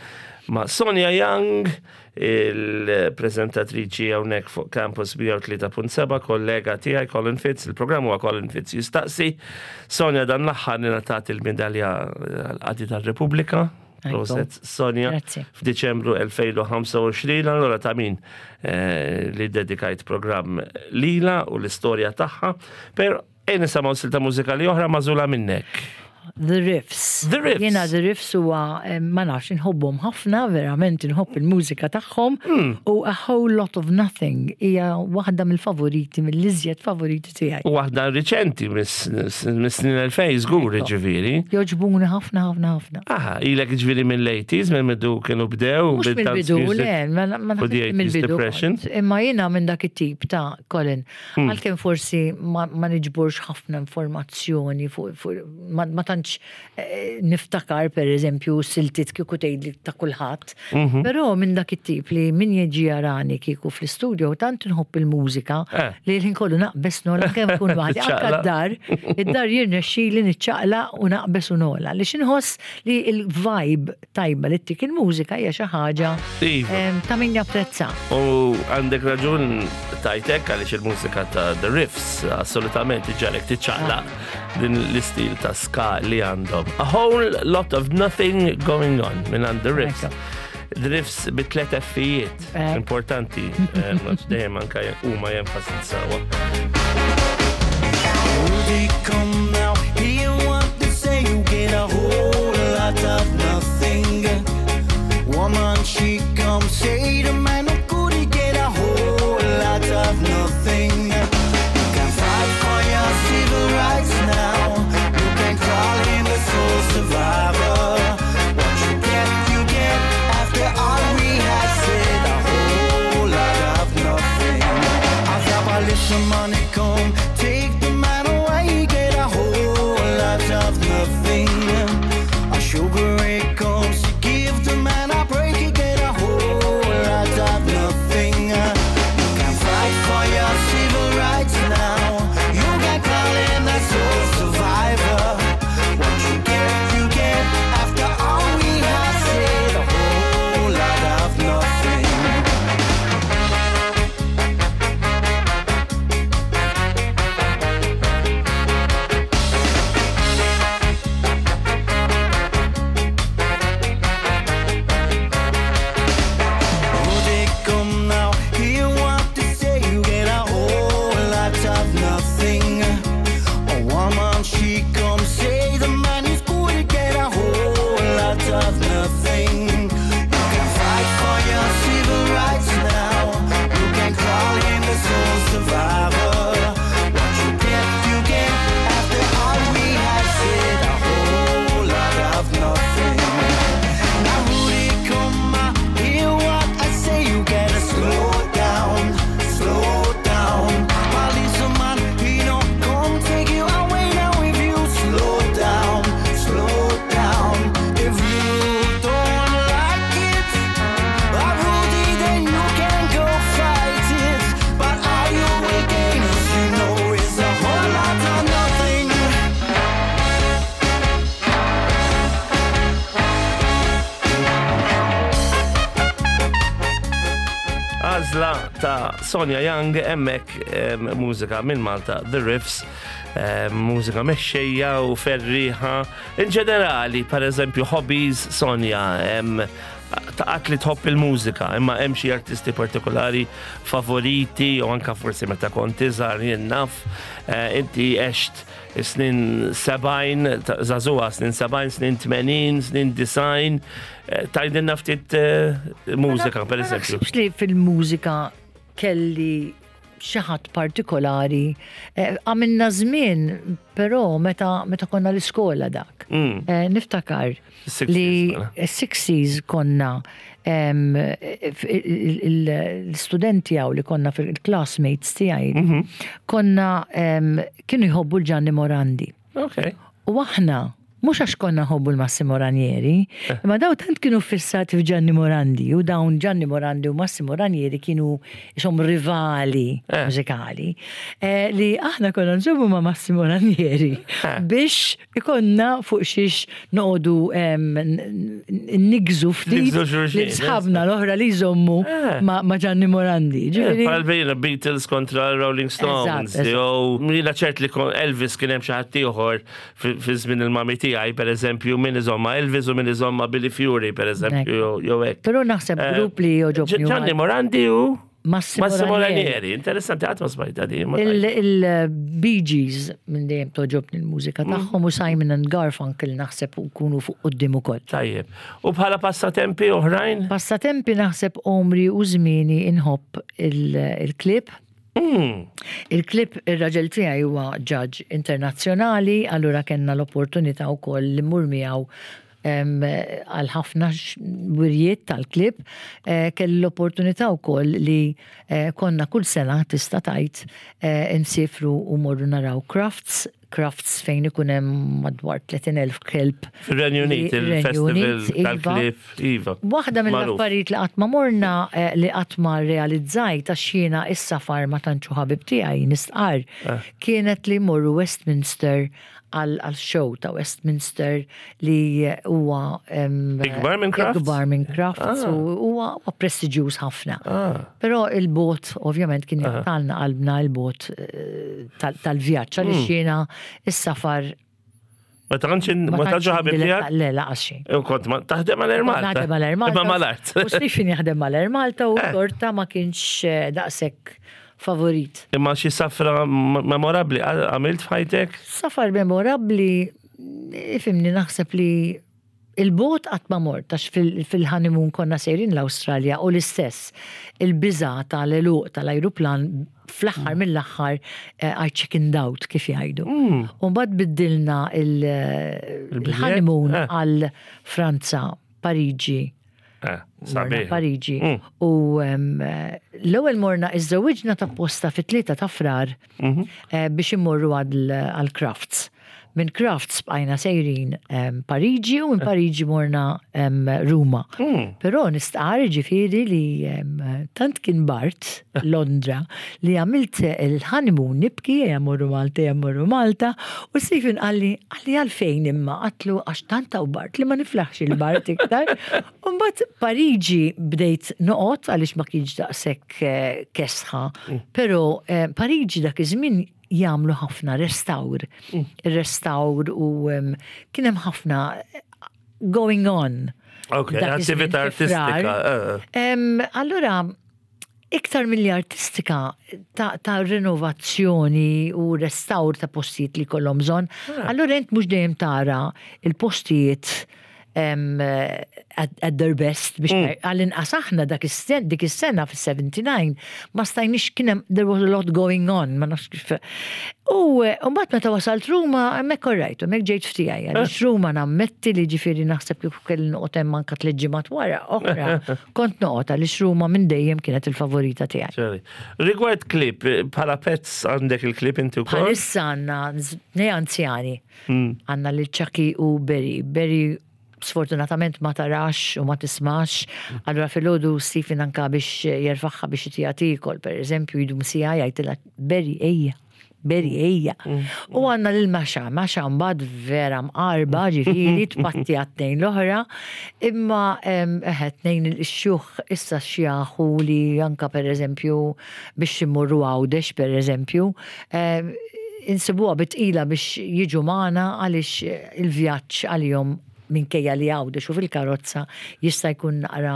ma' Sonia Young, il-preżentatriċi hawnhekk fuq Campus 103.7, kollega tiegħi Colin Fitz, il-programm huwa Colin Fitz jistaqsi. Sonia dan l-aħħar ingħatat il-medalja għall-Qadi tar-Repubblika. Proset, Sonia, Grazzi. f'Diċembru 2025, allura ta' min li dedikajt programm lila u l-istorja tagħha, pero ejja nisimgħu silta mużikali oħra magħżula minnek. The Riffs. The Riffs. Jiena The Riffs huwa ma nafx inħobbhom ħafna, verament inħobb il-mużika tagħhom u A Whole Lot of Nothing hija waħda mill-favoriti, mill-iżjed favoriti tiegħi. U waħda riċenti mis-snin 2000 żgur ġifieri. Jogħġbuni ħafna ħafna ħafna. Aha, ilek ġifieri mill-80s, minn bidu kienu bdew Mhux bil-dance mill-bidu, music le, ma u the naħsibx 80s mill-bidu depression. kont. Imma jiena minn dak it-tip ta' Colin, għalkemm forsi ma niġborx ħafna informazzjoni fuq ma tantx tantx eh, niftakar per eżempju siltiet kieku tgħidli ta' kulħadd. Mhm. Però minn dak it-tip li min jiġi jarani kieku fl-istudio tant nħobb il-mużika eh. li l-ħin kollu naqbes nola kemm kun waħdi anke d-dar, id-dar jirnexxili niċċaqla u naqbes u nola li xinħoss li l-vibe tajba li ttik il-mużika hija xi ħaġa iva. ta' min japprezza. U għandek raġun tajtek għaliex il-mużika ta' The Riffs assolutament iġġalek tiċċaqlaq din l-istil ta' ska li għandhom. A whole lot of nothing going on minn għand The Riffs. The Riffs bi tlet effijiet eh. importanti, eh, dejjem anka huma jenfasizzawa. Come now, hear what they say, you get a whole lot of nothing. Woman, she come say the man who could get a whole lot of nothing. You can fight for your civil rights now. You can call him a soul survivor. What you get, you get. After all we have said, a whole lot of nothing. I've little money come, take the man away, get a whole lot of nothing. A sugar it comes, give the man a break, you get a whole lot of nothing. You can fight for your civil rights now. You can call him a soul survivor. What you get, you get. After all we have said, a whole lot of nothing. Oh, they come now, hear what they say, you get a whole lot of nothing. A woman, she come say the man is good, you get a whole lot of nothing. You can fight for your civil rights now. You can call him the sole survivor. What you get, you get. After all we have said, a whole lot of nothing. Now Rudy, come on, hear what I say. You gotta slow down, slow down. Policeman, he don't come take you away now if you slow down, slow down. If you don't like it, Rudy, then you can go fight it. But all you will gain, as you know, is a whole lot of nothing. Għażla ta' Sonia Young hemmhekk mużika minn Malta, The Riffs, mużika mexxejja u ferriħa. In ġenerali, per eżempju, hobbies Sonia, taqat li tħobb il-mużika, imma hemm xi artisti partikolari favoriti u anka forsi meta kont iżgħar jien naf, eh, inti għext snin 70, żagħżugħa snin 70, snin 80, snin 90, eh, tgħidilna ftit eh, mużika per eżempju. Ma li fil-mużika kelli xi ħadd partikolari. Eh, għamilna żmien, però meta, meta konna l-iskola dak. Niftakar li 60s konna l-studenti għaw li konna fil-classmates tiegħi, konna kienu jħobbu l-Gianni Morandi. Okay. U aħna, mhux għax konna nħobbu l-Massimo Ranieri, eh. imma daw tant kienu fissati f'Gianni Morandi u dawn Gianni Morandi u Massimo Ranieri kienu isom rivali eh. mużikali eh, li aħna konna nżommu ma' Massimo Ranieri biex ikonna fuq xiex noqogħdu nigżu ftit li sħabna l-oħra li jżommu ma' Gianni Morandi. Bħal bejna Beatles kontra Rolling Stones, jew jiena ċert li Elvis kien hemm xi ħadd ieħor fi żmien il-mami tiegħi pereżempju min iżomma Elvis u min iżomma Billy Fury pereżempju jew hekk. Però naħseb eh, grupp li joġobni. Gianni Morandi u Massimo Ranieri, interessanti għat ma smajta di. Il-Bee Gees minn dejjem toġobni l-mużika mm. tagħhom u Simon and Garfunkel naħseb u kunu fuq qudiem ukoll. Tajjeb. U bħala passatempi oħrajn? Passatempi naħseb omri u żmieni inħobb il-klib. Mm. Il-klib ir-raġel tiegħi huwa ġaġ internazzjonali, allura kellna l-opportunità wkoll li mmur miegħu għal ħafna wirjiet tal-klib, eh, kelli l-opportunità wkoll li eh, konna kull sena tista' tgħid eh, insifru u morru naraw crafts. Crufts fejn ikun hemm madwar 30,000 kelb. Fir-Renju Unit, il-festival tal-klieb, iva. Waħda mill-affarijiet li qatt ma morna eh, li qatt ma realizzajt għax jiena is-safar ma tantx hu ħabib tiegħi nistqarr eh. kienet li morru Westminster għal show ta' Westminster li huwa ikbar minn Crufts. Ikbar minn Crufts ah. u huwa prestiġjuż ħafna. Ah. Però il-bot ovvjament kien ah. jaqtalna qalbna il-bot eh, tal-vjaġġ għaliex jiena is-safar Ma tantx ma tantx ħabib tiegħek? Le, laqas xejn. U kont ma taħdem għal Air Malta. Naħdem għal Air Malta. Imma mal-art. U Stephen jaħdem mal Air Malta u eh. xorta ma kienx eh, daqshekk favorit. Imma xi safra memorabbli għamilt f'ħajtek? Safar memorabbli, ifimni naħseb li il-bot qatt ma mort għax fil-honeymoon konna sejrin l-Awstralja u l-istess il-biża tal-eluq tal-ajruplan fl-aħħar mm. mill-aħħar eh, I chickened out kif jgħidu. Mm. U mbagħad biddilna il-honeymoon eh. għal Franza, Pariġi, Eh, sabiħ. Pariġi. Mm. U l-ewwel morna iżżewwiġna ta' posta fit-tlieta ta' frar mhm. eh, biex immorru għal crafts. Minn crafts bqajna sejrin Pariġi u minn eh. Pariġi morna Ruma. Mm. Però nistqar ġifieri li tant kien Bart Londra li għamilt il-honeymoon nibki ejja morru Malta ejja morru Malta u Stephen qalli qalli għalfejn imma għatlu għax tant hawn bard li ma niflaħx il-bard iktar. U mbagħad Pariġi bdejt noqgħod għaliex ma kienx daqshekk eh, kesħa, mm. però eh, Pariġi dak iż-żmien jagħmlu ħafna restawr. Mm. Restawr u kien hemm ħafna eh, going on. Ok, attività artistika. Allura, Iktar milli artistika ta', ta rinovazzjoni u restawr ta' postijiet li kollhom bżonn, ah. allura int mhux dejjem tara il-postijiet um, at, at their best biex mm. għall-inqas aħna dak dik is-sena fis-79 ma stajniex kien hemm there was a lot going on ma nafx kif. U eh, mbagħad meta wasalt Ruma hemmhekk orrajt, hemmhekk ġejt ftiegħi għaliex Ruma nammetti li ġifieri naħseb kieku kelli noqgħod hemm anke tliet ġimgħat wara oħra kont noqgħod għaliex Ruma minn dejjem kienet il-favorita tiegħi. Rigward klip, bħala pets għandek il-klip inti wkoll? Bħalissa għandna nej anzjani. Hmm. Għandna lil Chucky u Berry. Berry sfortunatament ma tarax u ma tismax. Allura filgħodu Stephen anka biex jerfaħħa biex itija tiekol, per eżempju, jdum sija jgħidilha Berry ejja. Berry ejja. Mm. U għanna lil Maxa, Maxa mbagħad vera mqarba ġifieri tpatti għat-tnejn l-oħra, imma eħe tnejn il-xjuħ issa xjaħu li anka per eżempju biex immorru Għawdex per eżempju, insibuha bitqila biex jiġu magħna għaliex il-vjaġġ għalihom minkejja li Għawdex u fil-karozza jista' jkun naqra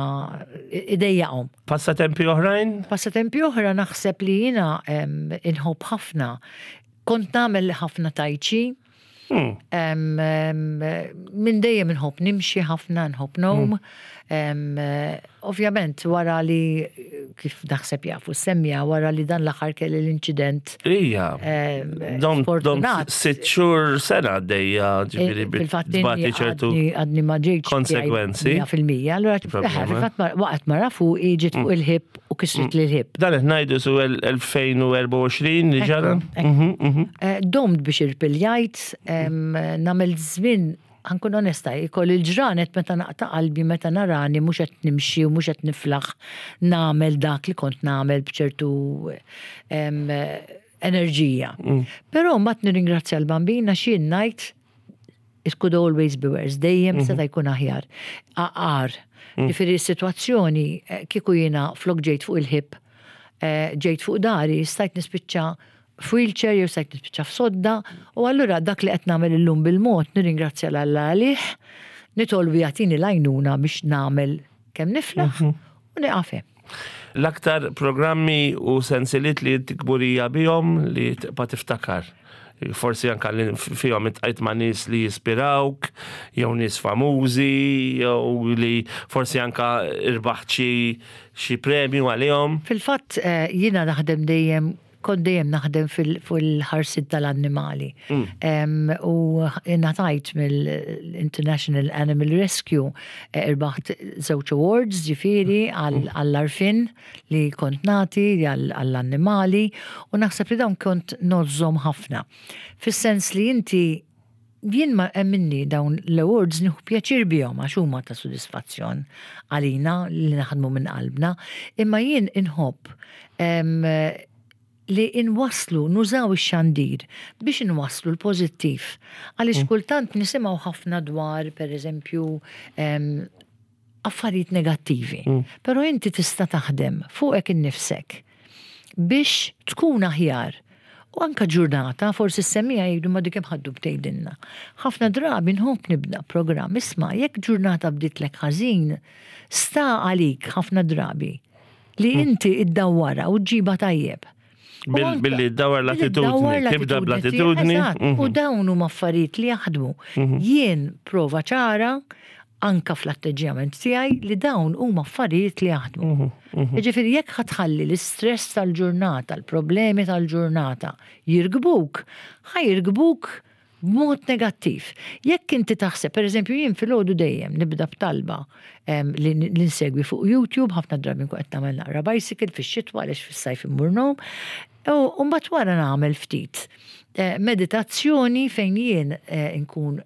idejjaqhom. Passatempi oħrajn? Passatempi oħra naħseb li jiena inħobb ħafna. Kont nagħmel ħafna tai chi. Hmm. Minn dejjem inħobb nimxi ħafna, nħobb nom. Hmm. Ovvjament wara li kif naħseb jafu semmija wara li dan l-aħħar kelli l-inċident. Ija. Dom dom sitt xhur sena għaddejja ġifieri fil-fatt ċertu għadni ma ġejtx konsegwenzi. Fil-mija, allura fil-fatt waqgħet mara fuq ġiet fuq mm. il-ħib u kisret mm. l-ħib. Dan qed ngħidu su 2024 li ġara. Mhm, mhm. Eh, domt biex irpiljajt, nagħmel żmien Ħa nkun onesta, ikolli l-ġranet meta naqta' qalbi meta narani mhux qed nimxi u mhux qed niflaħ nagħmel dak li kont nagħmel b'ċertu enerġija. Mm. Però mbagħad nirringrazzja l-Bambin għax jien ngħid it could always be worse, dejjem mhm. seta' jkun aħjar. Aqar. Mm. Ġifieri s-sitwazzjoni eh, kieku jiena flok ġejt fuq il-ħib, eh, ġejt fuq dari, stajt nispiċċa f'wheelchair jew stajt nispiċċa f'sodda u allura dak li qed nagħmel illum bil-mod nirringrazzja 'l Alla għalih, nitolbu jagħtini l-għajnuna biex nagħmel kemm niflaħ mhm. u nieqaf hemm. L-aktar programmi u sensiliet li inti kburija bihom li tibqa' tiftakar? Forsi anka li fihom intqajt ma' nies li jispirawk, jew nies famużi, jew li forsi anka irbaħt xi premju għalihom. Fil-fatt eh, jiena naħdem dejjem kont dejjem naħdem fil-ħarsien tal-annimali. U ngħatajt mill-International Animal Rescue, irbaħt żewġ awards ġifieri għall-għarfien li kont nagħti għall-annimali u naħseb li dawn kont ngħożżhom ħafna. Fis-sens li inti jien ma emminni dawn l-awards nieħu pjaċir bihom għax huma ta' sodisfazzjon għalina li naħdmu minn qalbna, imma jien inħobb li inwasslu, nużaw ix-xandir biex inwasslu l-pożittiv. Għaliex kultant nisimgħu ħafna dwar, per eżempju, affarijiet negattivi. Però inti tista' taħdem fuqek innifsek biex tkun aħjar. U anka ġurnata, forsi s-semmiegħa jgħidu ma dik hemm ħaddu btgħidilna. Ħafna drabi nħobb nibda programm, isma' jekk ġurnata bditlek ħażin, sta għalik ħafna drabi li inti iddawwarha u ġġibha tajjeb. Billi ddawwar l-attitudni, tibda bl-attitudni. U dawn huma affarijiet li jaħdmu. Jien prova ċara anka fl-atteġġjament tiegħi li dawn huma affarijiet li jaħdmu. Jiġifieri jekk ħa tħalli l-istress tal-ġurnata, l-problemi tal-ġurnata jirkbuk, ħa jirkbuk b'mod negattiv. Jekk inti taħseb, per eżempju, jien filgħodu dejjem nibda b'talba li nsegwi fuq YouTube, ħafna drabi nkun qed nagħmel naqra bicycle fix-xitwa għaliex fis-sajf immur ngħum, u mbagħad wara nagħmel ftit meditazzjoni fejn jien nkun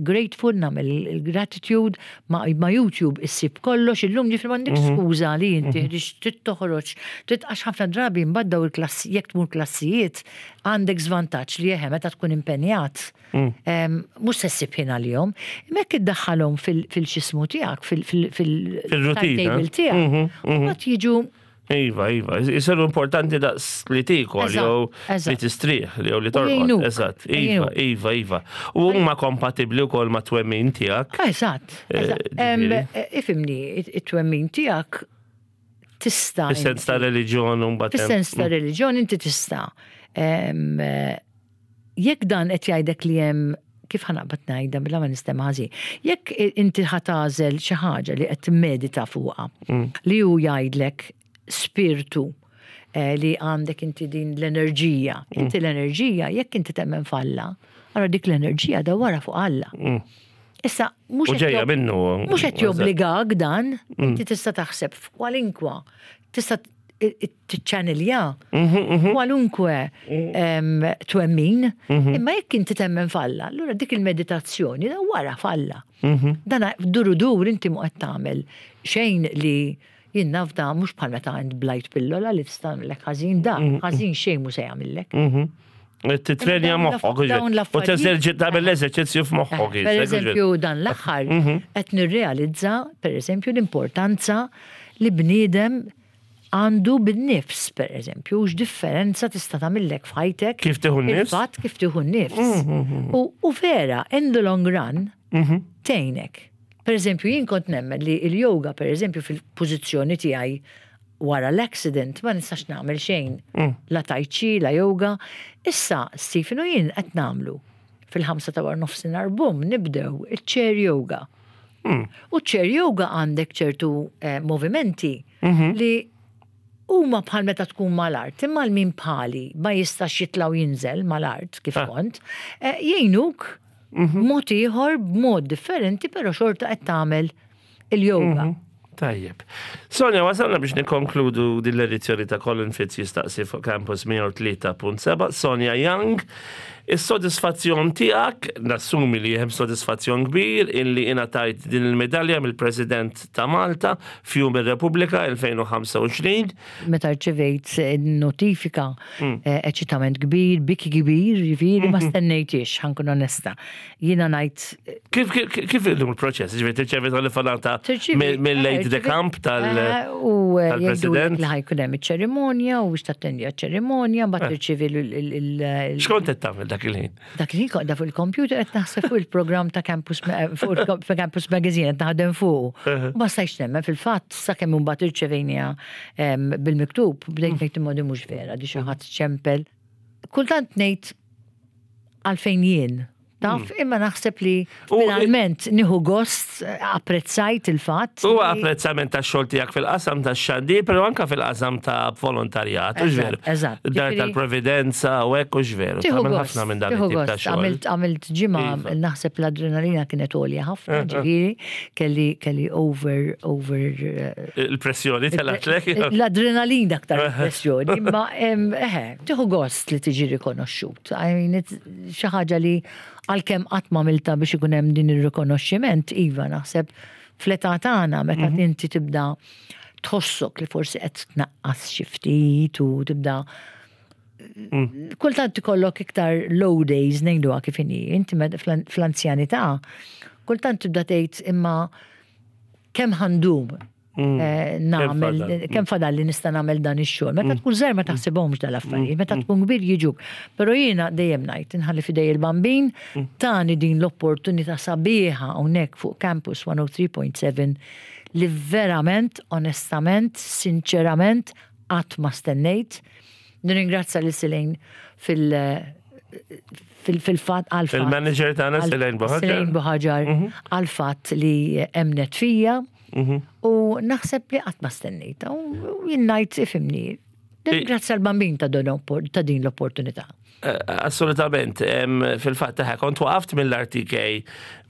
grateful, nagħmel il-gratitude, ma' YouTube issib kollox, illum ġifieri m'għandekx skuża li inti trid toħroġ, trid għax ħafna drabi mbagħad daw il-klassi, jekk tmur klassijiet, għandek żvantaġġ li eħe meta tkun impenjat, mhux se ssib ħin għalihom, imma jekk iddaħħalhom fil-xismu tiegħek, fil-timetable tiegħek, mbagħad jiġu Iva, iva, jisiru importanti daqs li tikol, jew li tistrieħ, jew li torqod. Eżatt, iva, iva, iva. U huma kompatibbli wkoll ma' twemmin tiegħek. Eżatt. Ifhimni, it-twemmin tiegħek tista'. Fis-sens ta' reliġjon u mbagħad. Fis-sens ta' reliġjon inti tista'. Jekk dan qed jgħidek li hemm kif ħa naqbad ngħidha bla ma nistema' ħażin. Jekk inti ħa tagħżel xi ħaġa li qed timmedita fuqha, li hu jgħidlek spirtu li għandek inti din l-enerġija. Inti l-enerġija, jekk inti temmen f'Alla, allura dik l-enerġija dawwarha fuq Alla. Issa, mhux U ġejja minnu. Mhux qed jobbligak dan, inti tista' taħseb f'kwalinkwa, tista' tiċċanilja kwalunkwe twemmin, imma jekk inti temmen f'Alla, allura dik il-meditazzjoni dawwarha f'Alla. Dan duru dur inti mhu qed tagħmel xejn li jien naf da mhux bħal meta għand blajt pillola li tista' tagħmellek ħażin, da ħażin xejn mhu se jagħmillek. Titrenja moħħok, u teżerġi tagħmel l-eżerċizzju f'moħħok. Per eżempju, dan l-aħħar qed nirrealizza, per eżempju, l-importanza li bniedem għandu bin-nifs, per eżempju, x'differenza tista' tagħmillek f'ħajtek. Kif tieħu n-nifs? Il-fatt kif tieħu n-nifs. U vera, in the long run, tgħinek. Per eżempju, jien kont nemmen li il-yoga, per eżempju, fil-pożizzjoni tiegħi wara l-accident ma nistax nagħmel xejn. La tai chi, la yoga. Issa, Stephen u jien qed nagħmlu fil-5 ta' wara nofsinhar bum nibdew iċ-chair yoga. U chair yoga għandek ċertu movimenti li huma bħal meta tkun mal-art, imma l-min bħali ma jistax jitla' u jinżel mal-art kif kont, jgħinuk mod ieħor b'mod differenti, però xorta qed tagħmel il-yoga. Tajjeb. Sonja, wasalna biex nikkonkludu din l-edizzjoni ta' Colin Fitz jistaqsi fuq Campus 103.7. Sonja Young, is-sodisfazzjon tiegħek, nassumi li hemm sodisfazzjon kbir illi ingħatajt din il-medalja mill-President ta' Malta f'Jum ir-Repubblika 2025. Meta rċevejt notifika, eċitament kbir, biki kbir, ġifieri ma stennejtix, ħa nkun onesta. Jiena ngħid Kif kif illum il-proċess? Ġifieri tirċevi telefonata mill-aide de camp tal-President? Li ħa jkun hemm iċ-ċerimonja u biex tattendi għaċ-ċerimonja, mbagħad tirċievi l- X'kont qed tagħmel dak il-ħin? Dak il-ħin kont fuq il-computer qed naħseb fuq il-programm ta' Campus fuq Campus Magazine qed naħdem fuq. Ma stajtx nemmen fil-fatt sakemm imbagħad irċevejniha bil-miktub, bdejt ngħid imma di mhux vera, di xi ħadd ċempel. Kultant ngħid għalfejn jien. Taf, imma naħseb li finalment nieħu gost apprezzajt il-fatt. Huwa apprezzament tax-xogħol tiegħek fil-qasam tax-xandir, però anke fil-qasam ta' volontarjat, hux veru? Eżatt. Dar tal-Providenza u hekk hux veru. Tagħmel ħafna minn dan it-tip ta' xogħol. Għamilt ġimgħa iva. naħseb l-adrenalina kienet għolja ħafna, ġifieri kelli kelli over over eh, Il-pressjoni telgħetlek. L-adrenalina aktar pressjoni, imma eħe, tieħu gost li tiġi rikonoxxut. I mean, xi ħaġa li għalkemm qatt m'għamiltha biex ikun hemm din ir-rikonoxximent, iva naħseb fl-età tagħna meta mhm. inti tibda tħossok li forsi qed tnaqqas xi ftit u tibda mm. kultant ikollok iktar low days ngħiduha kif inhi, inti fl-anzjanità kultant tibda tgħid imma kemm ħandum mm. eh, nagħmel kemm fadal li nista' nagħmel dan ix-xogħol. Meta mm. tkun żgħir ma taħsibhomx dal-affarijiet, mm. meta tkun kbir jiġuk. Però jiena dejjem ngħid inħalli fidej il-bambin tani din l-opportunità sabiħa hawnhekk fuq Campus 103.7 li verament, onestament, sinċerament qatt ma stennejt. Nirringrazzja lil Silejn fil- fil-fat għal Il-manager tagħna Silejn Buħaġar. Silejn Buħaġar mhm. għal fatt li emnet fija mhm. u naħseb li qatt ma stennejta u jien ngħid ifimni. Grazzi għal-bambin ta' din l-opportunità. Eh, assolutament, fil-fatt taħ, kont waqaft mill-RTK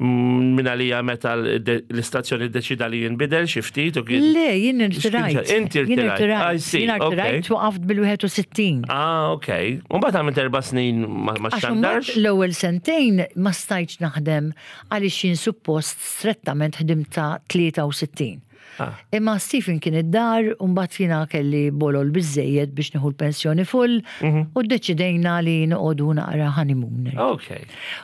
mm, minn għalija meta l-istazzjoni deċida li jinbidel xi ftit u kien. Le, jien irtirajt. Inti irtirajt. Jien irtirajt waqaft bil-61. Ah, ok. U mbagħad għamilt erba' snin ma xandarx. L-ewwel sentejn ma stajtx naħdem għaliex jien suppost strettament ħdimt ta' 63. Ah. Imma Stephen kien id-dar u mbagħad jiena kelli bolol biżejjed biex nieħu l-pensjoni full mhm. u ddeċidejna li noqogħdu naqra honeymoon. Ok.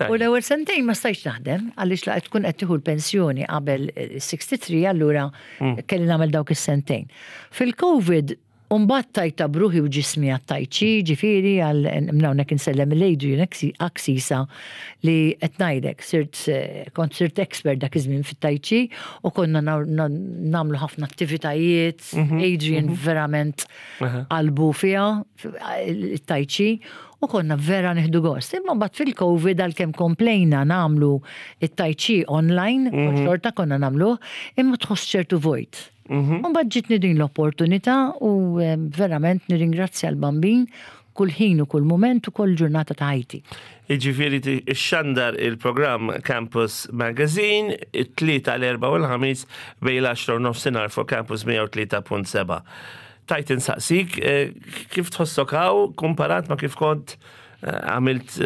U l-ewwel sentejn ma stajtx naħdem għaliex laqgħet tkun qed tieħu l-pensjoni qabel 63 allura mm. kelli nagħmel dawk is-sentejn. Fil-Covid U mbagħad tajtha b'ruħi u ġismi għat-tai chi, ġifieri għal minn hawnhekk insellem lil Adrian Axisa li qed ngħidlek sirt kont sirt expert dak iż-żmien fit-tai chi u konna nagħmlu ħafna attivitajiet, mhm, Adrian mhm. verament qalbu fiha it-tai chi u konna vera nieħdu gost. Imma mbagħad fil-Covid għalkemm komplejna nagħmlu it-tai chi online, mhm. xorta konna nagħmluh, imma tħoss ċertu vojt. Mhm. U mbagħad ġitni din l-opportunità u eh, verament nirringrazzja l-Bambin kull ħin u kull mument u kull ġurnata ta' ħajti. Iġifieri xandar il-programm Campus Magazine, it-tlieta l-erba' u l-ħamis bejn l-10 u nofsinhar fuq Campus 103.7. Tajt insaqsik eh, kif tħossok hawn kumparat ma' kif kont għamilt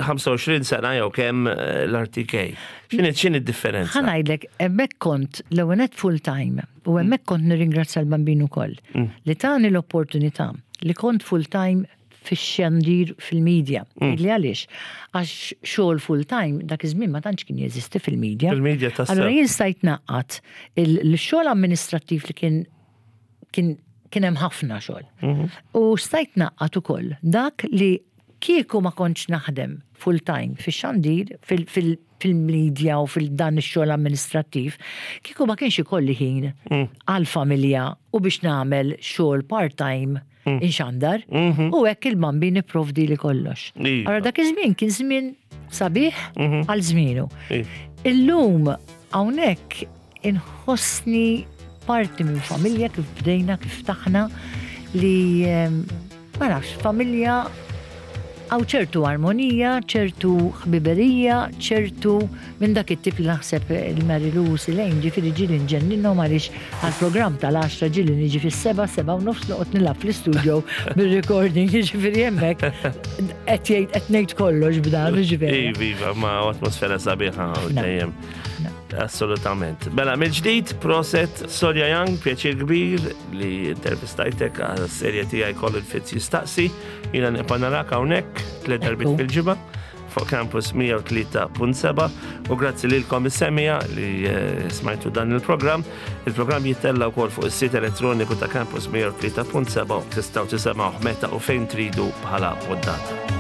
25 eh, sena jew kemm eh, l-RTK. X'inhi x'inhi d-differenza? Ħa ngħidlek, hemmhekk kont l-ewwel full time u hemmhekk kont nirringrazzja l-Bambin ukoll mm. li tani l-opportunità li kont full time fix-xandir fil-medja. Mm. Li għaliex? Għax xogħol full time dak iż-żmien ma tantx kien jeżisti fil-medja. Fil-medja tas Allura jien stajt naqqat il-xogħol amministrattiv li kien kien kien hemm ħafna xogħol. Mhm. U stajt naqqat ukoll dak li kieku ma kontx naħdem full time fix-xandir, fil-media u fil-dan ix-xogħol amministrattiv, kieku ma kienx ikolli ħin mm. għal-familja u biex nagħmel xogħol part-time mm. inxandar mhm. u hekk il-bambi nipprovdi li kollox. Iva. Allora dak iż-żmien kien żmien sabiħ mhm. għal żmienu. Iva. Illum hawnhekk Inħossni parti minn familja kif bdejna, kif ftaħna li ehm, ma nafx, familja għaw ċertu armonija, ċertu ħbiberija, ċertu minn dak it-tip li naħseb il-Mary Lou Silejn ġifieri ġieli nġenninhom għaliex għall-programm tal-10 ġieli niġi fis-seba' seba' u nofs noqgħod nilgħab fl-istudio bir-recording ġifieri hemmhekk qed jgħid qed ngħid kollox b'dan ġifieri. Iva, iva, ma atmosfera sabiħa dejjem. Assolutament. Mela, mill-ġdid, proset Sonja Young, pjaċir kbir li intervistajtek għal serje tiegħi Colin Fitz jistaqsi. Jiena nibqa' narak hawnhekk tliet darbit fil-ġimgħa fuq Campus 103.7 u grazzi lilkom is-semija li eh, smajtu dan il-programm. Il-programm jittella wkoll fuq is-sit elettroniku ta' Campus 103.7 tistgħu tisimgħu meta u fejn tridu bħala poddata.